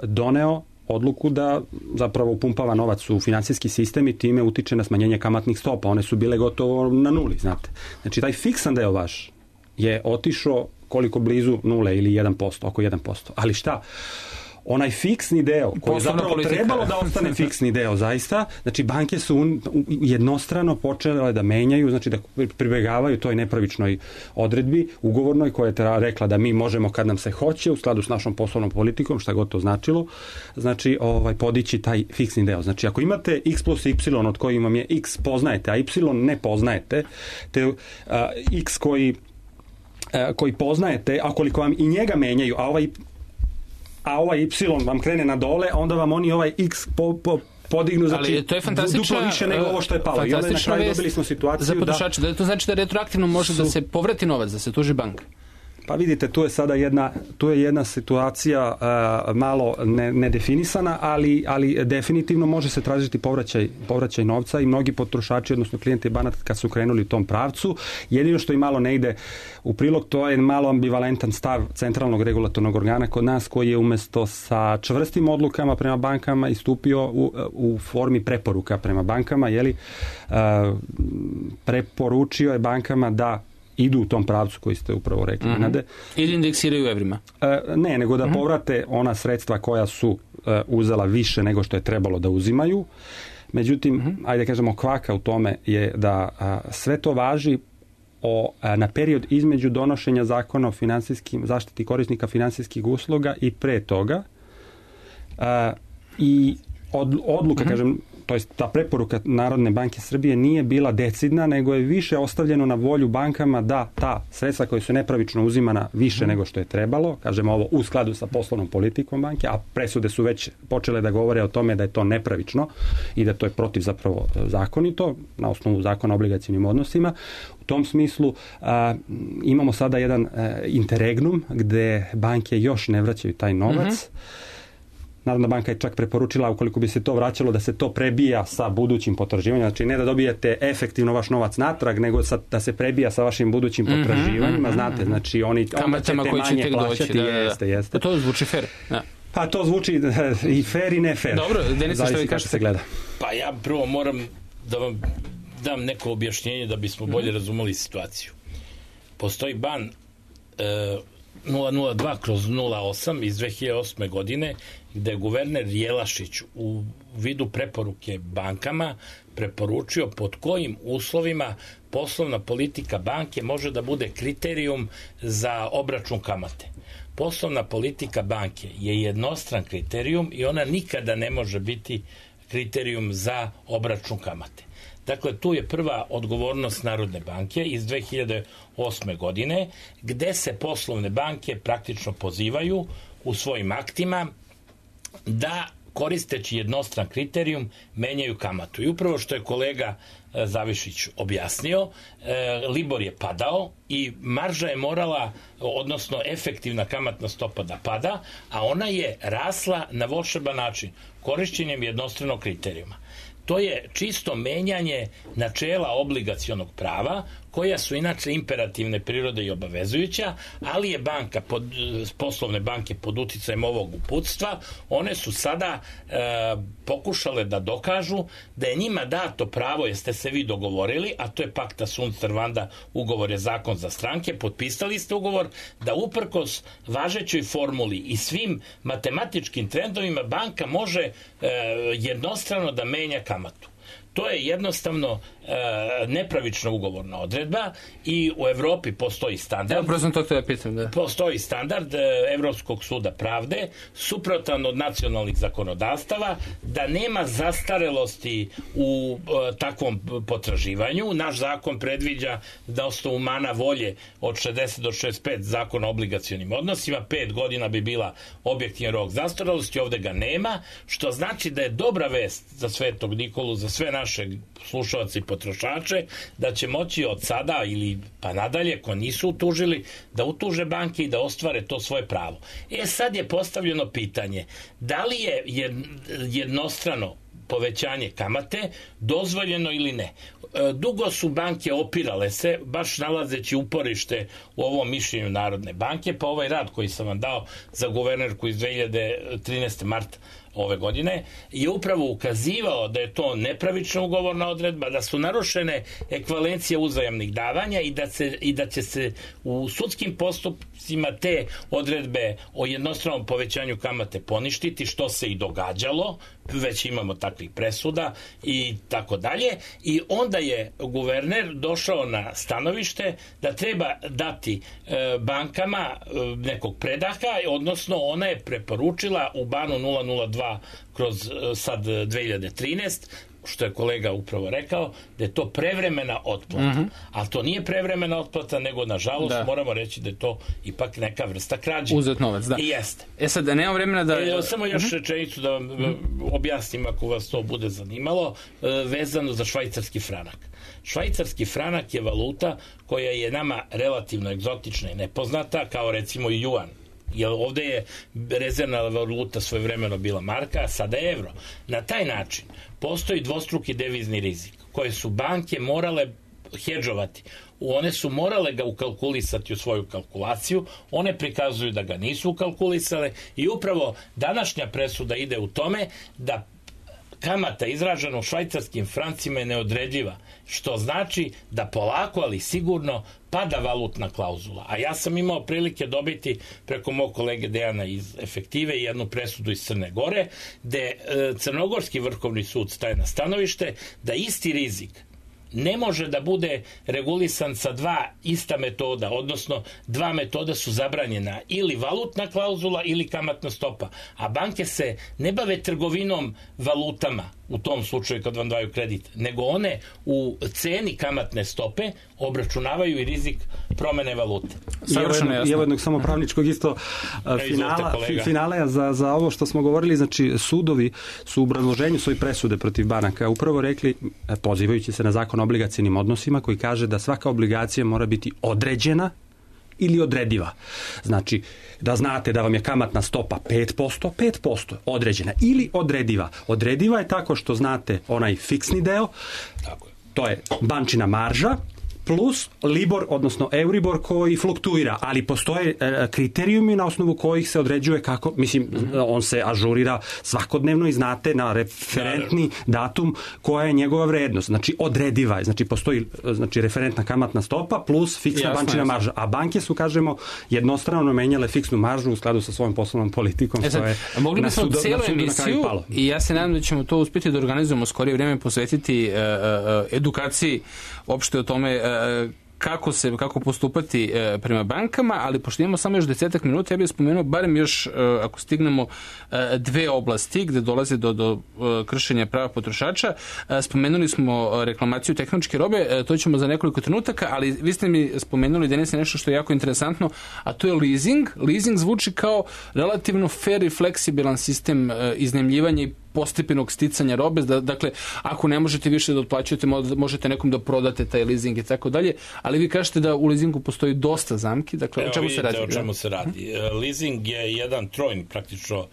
doneo odluku da zapravo upumpava novac u finansijski sistem i time utiče na smanjenje kamatnih stopa. One su bile gotovo na nuli, znate. Znači, taj fiksan deo vaš je otišao koliko blizu nule ili 1%, oko 1%. Ali šta? onaj fiksni deo, koji je zapravo trebalo da ostane fiksni deo, zaista, znači banke su jednostrano počele da menjaju, znači da pribegavaju toj nepravičnoj odredbi ugovornoj koja je rekla da mi možemo kad nam se hoće u skladu s našom poslovnom politikom, šta god to značilo, znači podići taj fiksni deo. Znači ako imate x plus y od kojim vam je x poznajete, a y ne poznajete, te x koji poznajete, a koliko vam i njega menjaju, a ovaj y vam krene na dole, onda vam oni ovaj x podignu, znači duplo više nego ovo što je palo. I onda na kraju dobili smo situaciju za potrošače, da to znači da retroaktivno može da se povrati novac, da se tuži banka. Pa vidite, tu je sada jedna situacija malo nedefinisana, ali definitivno može se tražiti povraćaj novca i mnogi potrošači, odnosno klijenti banaka kad su krenuli u tom pravcu. Jedino što i malo ne ide u prilog, to je malo ambivalentan stav centralnog regulatornog organa kod nas, koji je umjesto sa čvrstim odlukama prema bankama istupio u formi preporuka prema bankama, preporučio je bankama da idu u tom pravcu koji ste upravo rekli. Ili indeksiraju evrima? Ne, nego da povrate ona sredstva koja su uzela više nego što je trebalo da uzimaju. Međutim, ajde kažemo, kvaka u tome je da sve to važi na period između donošenja zakona o zaštiti korisnika finansijskih usluga i pre toga. I odluka, kažem, to jest ta preporuka Narodne banke Srbije nije bila decidna, nego je više ostavljeno na volju bankama da ta sredstva koja su nepravično uzimana više nego što je trebalo, kažemo ovo u skladu sa poslovnom politikom banke, a presude su već počele da govore o tome da je to nepravično i da to je protiv zapravo zakonito na osnovu zakona o obligacionim odnosima. U tom smislu imamo sada jedan interregnum gde banke još ne vraćaju taj novac. Narodna banka je čak preporučila, ukoliko bi se to vraćalo, da se to prebija sa budućim potraživanjima. Znači ne da dobijete efektivno vaš novac natrag, nego da se prebija sa vašim budućim potraživanjima. Znate, znači onda ćete manje plaćati. Jeste. To zvuči fair. Pa to zvuči i fair i ne fair. Dobro, Denisa, što vi kažete? Se gleda. Pa ja prvo moram da vam dam neko objašnjenje da bismo bolje razumeli situaciju. Postoji ban 002/08 iz 2008. godine, gde je guverner Jelašić u vidu preporuke bankama preporučio pod kojim uslovima poslovna politika banke može da bude kriterijum za obračun kamate. Poslovna politika banke je jednostran kriterijum i ona nikada ne može biti kriterijum za obračun kamate. Dakle, tu je prva odgovornost Narodne banke iz 2008. godine, gde se poslovne banke praktično pozivaju u svojim aktima da, koristeći jednostran kriterijum, menjaju kamatu. I upravo što je kolega Zavišić objasnio, Libor je padao i marža je morala, odnosno efektivna kamatna stopa da pada, a ona je rasla na volšeban način, korišćenjem jednostranog kriterijuma. To je čisto menjanje načela obligacionog prava, koja su inače imperativne prirode i obavezujuća, ali je poslovne banke pod uticajem ovog uputstva, one su sada pokušale da dokažu da je njima dato pravo, jeste se vi dogovorili, a to je pacta sunt servanda, ugovor je zakon za stranke, potpisali ste ugovor da uprkos važećoj formuli i svim matematičkim trendovima banka može jednostrano da menja kamatu. To je jednostavno nepravična ugovorna odredba i u Evropi postoji standard. Postoji standard Evropskog suda pravde, suprotan od nacionalnih zakonodavstava, da nema zastarelosti u takvom potraživanju. Naš zakon predviđa da osnovu mana volje od 60 do 65 zakona o obligacionim odnosima, 5 godina bi bila objektivni rok zastarelosti, ovde ga nema, što znači da je dobra vest za Svetog Nikolu, za sve naše slušalce i potrošače, da će moći od sada ili pa nadalje, ko nisu utužili, da utuže banke i da ostvare to svoje pravo. Sad je postavljeno pitanje, da li je jednostrano povećanje kamate dozvoljeno ili ne. Dugo su banke opirale se, baš nalazeći uporište u ovom mišljenju Narodne banke, pa ovaj rad koji sam vam dao za guvernerku iz 2013. marta ove godine, je upravo ukazivao da je to nepravična ugovorna odredba, da su narušene ekvivalencije uzajamnih davanja i da će se u sudskim postupcima te odredbe o jednostranom povećanju kamate poništiti, što se i događalo, već imamo takvih presuda i tako dalje. I onda je guverner došao na stanovište da treba dati bankama nekog predaha, odnosno ona je preporučila u banu 002 kroz sad 2013, što je kolega upravo rekao, da je to prevremena otplata. Ali to nije prevremena otplata, nego nažalost moramo reći da je to ipak neka vrsta krađe. Uzet novac, da. I jeste. Sad, nema vremena da... Samo još rečenicu da vam objasnim, ako vas to bude zanimalo, vezano za švajcarski franak. Švajcarski franak je valuta koja je nama relativno egzotična i nepoznata, kao recimo i juan. Jer ovde je rezervna valuta svojevremeno bila marka, a sada je evro. Na taj način postoji dvostruki devizni rizik koje su banke morale hedžovati. One su morale ga ukalkulisati u svoju kalkulaciju, one prikazuju da ga nisu ukalkulisale i upravo današnja presuda ide u tome da kamata izražena u švajcarskim francima je neodrediva, što znači da polako, ali sigurno pada valutna klauzula. A ja sam imao prilike dobiti preko mog kolege Dejana iz Efektive jednu presudu iz Crne Gore, gde Crnogorski vrhovni sud staje na stanovište da isti rizik ne može da bude regulisan sa dva ista metoda, odnosno dva metoda su zabranjena, ili valutna klauzula ili kamatna stopa. A banke se ne bave trgovinom valutama u tom slučaju kad vam daju kredit, nego one u ceni kamatne stope obračunavaju i rizik promene valute. I evo jednog samo pravničkog isto finala za ovo što smo govorili. Znači, sudovi su u obrazloženju svoje presude protiv banaka upravo rekli, pozivajući se na zakon o obligacijnim odnosima, koji kaže da svaka obligacija mora biti određena ili odrediva. Znači, da znate da vam je kamatna stopa 5%, određena ili odrediva. Odrediva je tako što znate onaj fiksni deo, to je bančina marža, plus Libor, odnosno Euribor koji fluktuira, ali postoje kriterijumi na osnovu kojih se određuje kako, mislim, on se ažurira svakodnevno i znate na referentni datum koja je njegova vrednost. Znači, odrediva je. Znači, postoji referentna kamatna stopa plus fiksna bančina marža. A banke su, kažemo, jednostrano menjale fiksnu maržu u skladu sa svojom poslovnom politikom. Mogli bismo cijelu emisiju i ja se nadam da ćemo to uspjeti da organizujemo skorije vrijeme, posvetiti edukaciji opšte o tome kako postupati prema bankama, ali pošto imamo samo još 10 minuta, ja bih spomenuo barem još, ako stignemo, dve oblasti gde dolaze do kršenja prava potrošača. Spomenuli smo reklamaciju tehničke robe, to ćemo za nekoliko trenutaka, ali vi ste mi spomenuli danas nešto što je jako interesantno, a to je leasing. Leasing zvuči kao relativno fair i fleksibilan sistem iznajmljivanja i postepenog sticanja robe. Dakle, ako ne možete više da otplaćujete, možete nekom da prodate taj leasing i tako dalje, ali vi kažete da u leasingu postoji dosta zamki. Dakle, o čemu se radi? O čemu se radi. Leasing je jedan trojni praktično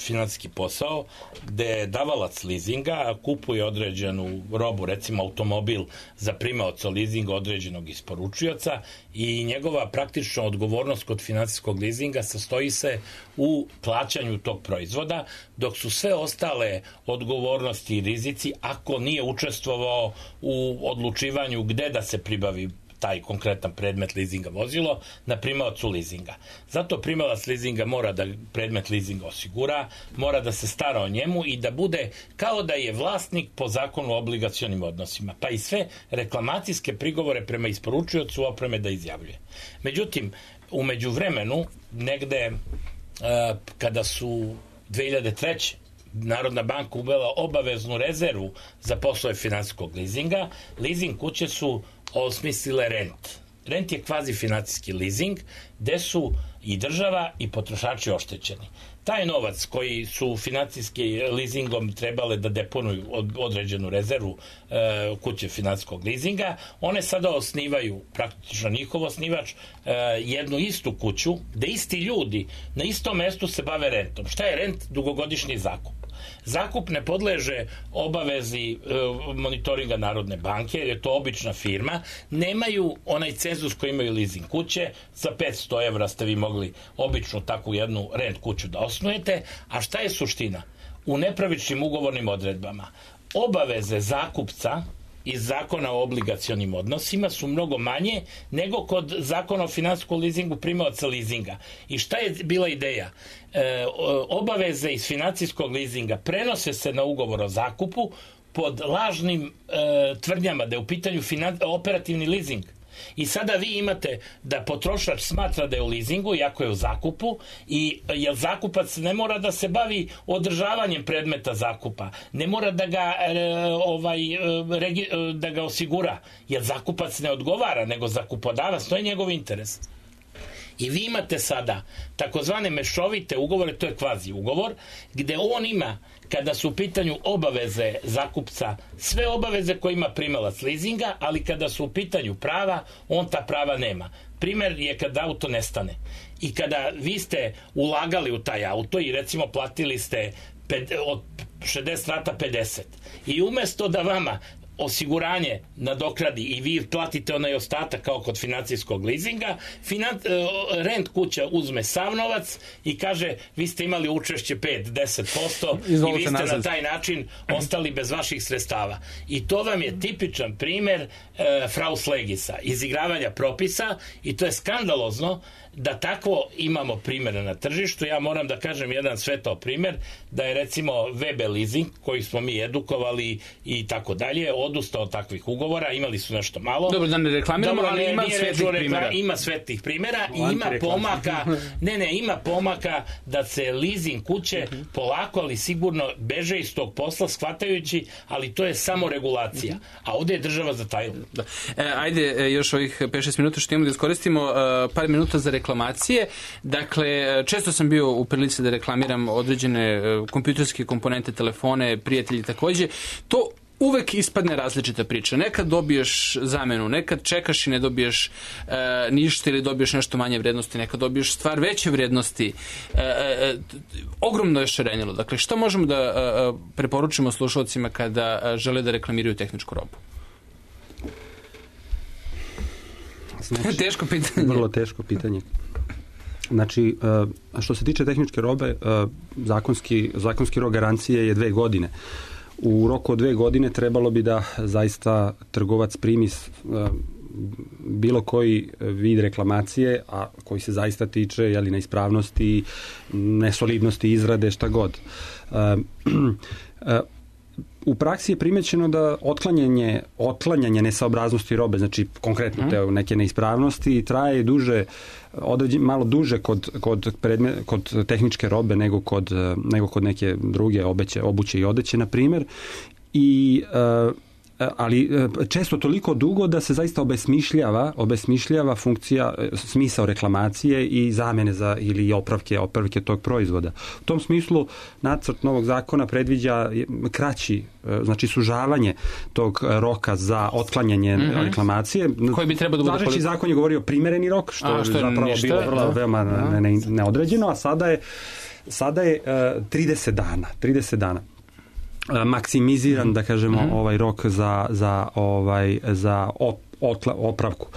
finansijski posao gde davalac leasinga kupuje određenu robu, recimo automobil za primaoca leasinga određenog isporučioca i njegova praktična odgovornost kod finansijskog leasinga sastoji se u plaćanju tog proizvoda, dok su sve ostale odgovornosti i rizici ako nije učestvovao u odlučivanju gde da se pribavi taj konkretan predmet leasinga vozilo na primaocu leasinga. Zato primalac leasinga mora da predmet leasinga osigura, mora da se stara o njemu i da bude kao da je vlasnik po zakonu o obligacionim odnosima, pa i sve reklamacijske prigovore prema isporučiocu opreme da izjavljuje. Međutim, u međuvremenu, negde kada su 2003. Narodna banka uvela obaveznu rezervu za poslove finansijskog leasinga, leasing kuće su osmislile rent. Rent je kvazi financijski leasing gde su i država i potrošači oštećeni. Taj novac koji su financijski leasingom trebale da deponuju određenu rezervu kuće finansijskog leasinga, one sada osnivaju, praktično njihov osnivač, jednu istu kuću gde isti ljudi na istom mestu se bave rentom. Šta je rent? Dugogodišnji zakup. Zakup ne podleže obavezi monitoringa Narodne banke, jer je to obična firma. Nemaju onaj cenzus koji imaju leasing kuće. Za 500 evra ste vi mogli običnu takvu jednu rent kuću da osnujete. A šta je suština? U nepravičnim ugovornim odredbama obaveze zakupca iz zakona o obligacionim odnosima su mnogo manje nego kod zakona o finansijskom leasingu primaoca leasinga. I šta je bila ideja? Obaveze iz financijskog leasinga prenose se na ugovor o zakupu pod lažnim tvrdnjama da je u pitanju operativni leasing. I sada vi imate da potrošač smatra da je u leasingu, iako je u zakupu, i jer zakupac ne mora da se bavi održavanjem predmeta zakupa, ne mora da ga osigura, jer zakupac ne odgovara, nego zakupodavac, to je njegov interes. I vi imate sada takozvane mešovite ugovore, to je kvazi ugovor, gde on ima, kada su u pitanju obaveze zakupca, sve obaveze koje ima primalac leasinga, ali kada su u pitanju prava, on ta prava nema. Primer je kada auto nestane. I kada vi ste ulagali u taj auto i recimo platili ste od 60 rata 50. I umesto da vama osiguranje nadokradi i vi platite onaj ostatak kao kod financijskog leasinga, rent kuća uzme sav novac i kaže vi ste imali učešće 5-10% i vi ste na taj način ostali bez vaših sredstava. I to vam je tipičan primer fraus legisa, izigravanja propisa, i to je skandalozno da takvo imamo primjere na tržištu. Ja moram da kažem jedan svetao primjer, da je recimo VB leasing, koji smo mi edukovali i tako dalje, odustao od takvih ugovora, imali su nešto malo. Dobro, da ne reklamiramo, ali ima svetlih primjera. Ima svetlih primjera i ima pomaka da se leasing kuće polako, ali sigurno beže iz tog posla, shvatajući, ali to je samo regulacija. A ovdje je država zatajila. Ajde, još ovih 5-6 minuta što imamo da iskoristimo, par minuta za reklamacije. Dakle, često sam bio u prilici da reklamiram određene kompjuterske komponente, telefone, prijatelji takođe. To uvek ispadne različita priča. Nekad dobiješ zamenu, nekad čekaš i ne dobiješ ništa ili dobiješ nešto manje vrednosti, nekad dobiješ stvar veće vrednosti. Ogromno je šarenilo. Dakle, što možemo da preporučimo slušalcima kada žele da reklamiraju tehničku robu? Znači, teško pitanje. Vrlo teško pitanje. Znači, što se tiče tehničke robe, zakonski rok garancije je 2 godine. U roku od 2 godine trebalo bi da zaista trgovac primi bilo koji vid reklamacije, a koji se zaista tiče neispravnosti, nesolidnosti izrade, šta god. U praksi je primećeno da otklanjanje nesaobraznosti robe, znači konkretno te neke neispravnosti, traje malo duže kod tehničke robe nego kod neke druge obuće i odeće, na primjer. Ali često toliko dugo da se zaista obesmišljava funkcija, smisao reklamacije i zamene ili opravke tog proizvoda. U tom smislu nacrt novog zakona predviđa kraći, znači sužavanje tog roka za otklanjanje reklamacije. Koji bi trebao da bude? Važeći zakon je govorio primereni rok, što je zapravo bilo veoma neodređeno, a sada je 30 dana. Maksimiziran, da kažemo, ovaj rok za opravku.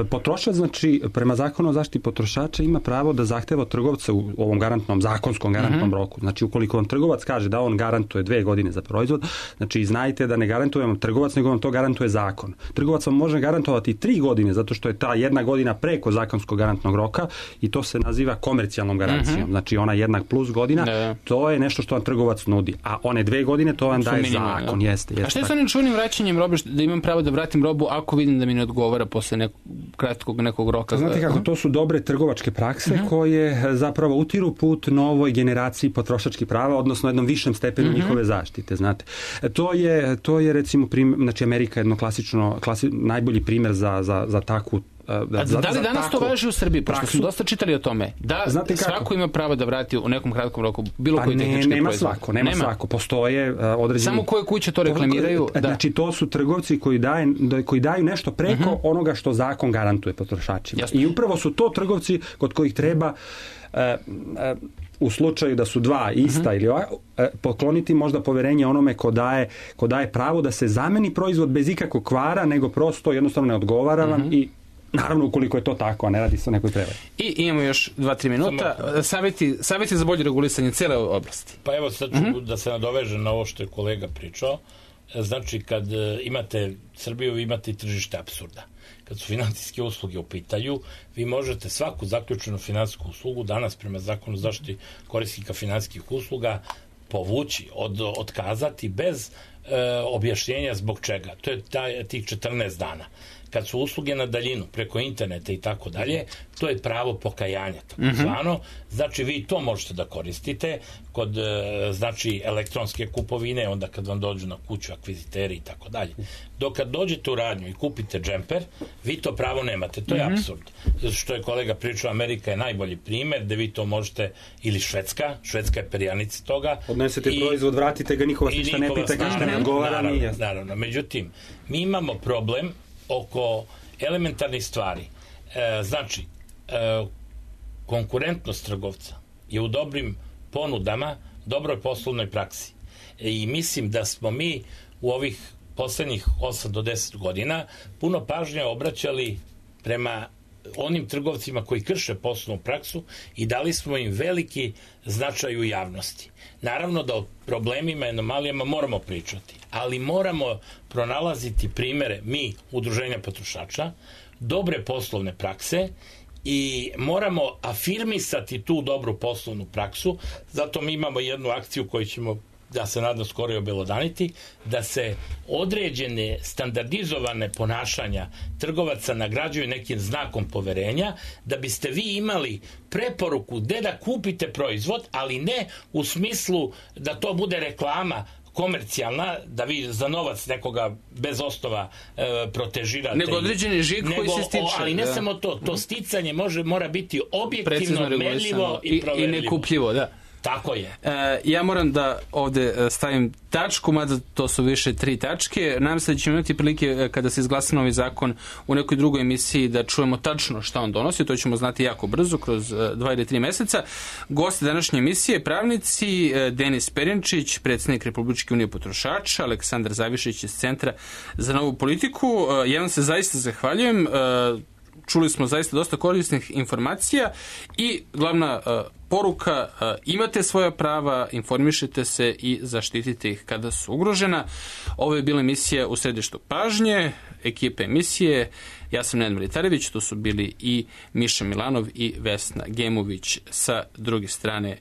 Potrošač, znači, prema zakonu o zaštiti potrošača ima pravo da zahteva od trgovca u ovom zakonskom garantnom roku. Znači, ukoliko vam trgovac kaže da on garantuje 2 godine za proizvod, znači, znajte da ne garantuje vam trgovac, nego vam to garantuje zakon. Trgovac vam može garantovati 3 godine, zato što je ta 1 godina preko zakonskog garantnog roka i to se naziva komercijalnom garancijom. Znači, ona 1+ godina, to je nešto što vam trgovac nudi. A one 2 godine, to vam daje zakon. Jeste. A što je sa onim čuvenim vraćanjem robe, da imam pravo da vratim robu ako vidim da mi ne odgovara posle kratkog nekog roka? Znate kako, to su dobre trgovačke prakse koje zapravo utiru put novoj generaciji potrošačkih prava, odnosno jednom višem stepenu njihove zaštite, znate. To je recimo, znači Amerika je jedno najbolji primjer za takvu. Da li danas to važi u Srbiji? Pošto smo dosta čitali o tome. Da svako ima pravo da vrati u nekom kratkom roku bilo koji tehnički proizvod? Nema svako. Postoje određeni... Samo koje kuće to reklamiraju? Znači, to su trgovci koji daju nešto preko onoga što zakon garantuje potrošačima. I upravo su to trgovci kod kojih treba u slučaju da su dva ista ili pokloniti možda poverenje onome ko daje pravo da se zameni proizvod bez ikakvog kvara, nego prosto jednostavno ne odgovara vam i naravno ukoliko je to tako, a ne radi se o nekoj prevari. I imamo još 2-3 minuta. Savjeti za bolje regulisanje cele oblasti. Pa evo sad ću da se nadovežem na ovo što je kolega pričao. Znači, kad imate Srbiju, vi imate i tržište apsurda. Kad su finansijske usluge u pitanju, vi možete svaku zaključenu finansijsku uslugu danas prema zakonu o zaštiti korisnika finansijskih usluga povući, otkazati bez objašnjenja zbog čega. To je tih 14 dana. Kad su usluge na daljinu, preko interneta i tako dalje, to je pravo pokajanja, tako zvano. Znači, vi to možete da koristite kod, znači, elektronske kupovine, onda kad vam dođu na kuću akviziteri i tako dalje. Dok kad dođete u radnju i kupite džemper, vi to pravo nemate. To je apsurd. Što je kolega pričao, Amerika je najbolji primjer, da vi to možete, ili Švedska je perjanica toga. Odnesete proizvod, vratite ga, niko vas ništa ne pita, kažete ne odgovara. Naravno. Međutim, mi imamo problem oko elementarnih stvari. Znači, konkurentnost trgovca je u dobrim ponudama, dobroj poslovnoj praksi. I mislim da smo mi u ovih poslednjih 8 do 10 godina puno pažnje obraćali prema onim trgovcima koji krše poslovnu praksu i dali smo im veliki značaj u javnosti. Naravno da o problemima i anomalijama moramo pričati, ali moramo pronalaziti primere, mi, udruženja potrošača, dobre poslovne prakse i moramo afirmisati tu dobru poslovnu praksu. Zato mi imamo jednu akciju koju ćemo, da se nadam, skoro i obelodaniti, da se određene standardizovane ponašanja trgovaca nagrađuju nekim znakom poverenja, da biste vi imali preporuku gde da kupite proizvod, ali ne u smislu da to bude reklama komercijalna, da vi za novac nekoga bez osnova protežirate. Nego određeni žig koji se stiče. Ali ne samo to sticanje mora biti objektivno, merljivo i proverljivo. I nekupljivo, da. Tako je. Ja moram da ovde stavim tačku, mada to su više 3 tačke. Nadam se da ćemo imati prilike kada se izglasa novi zakon u nekoj drugoj emisiji da čujemo tačno šta on donosi. To ćemo znati jako brzo, kroz 2 ili 3 meseca. Gosti današnje emisije, pravnici, Denis Perjenčić, predsjednik Republičke unije potrošača, Aleksandar Zavišić iz Centra za novu politiku. Ja vam se zaista zahvaljujem. Čuli smo zaista dosta korisnih informacija i glavna poruka, imate svoja prava, informišite se i zaštitite ih kada su ugrožena. Ovo je bila emisija U središtu pažnje, ekipe emisije. Ja sam Nenad Militarević, tu su bili i Miša Milanov i Vesna Gemović sa druge strane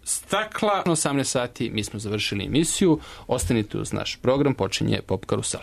stakla. 18 sati mi smo završili emisiju. Ostanite uz naš program, počinje Pop Karusel.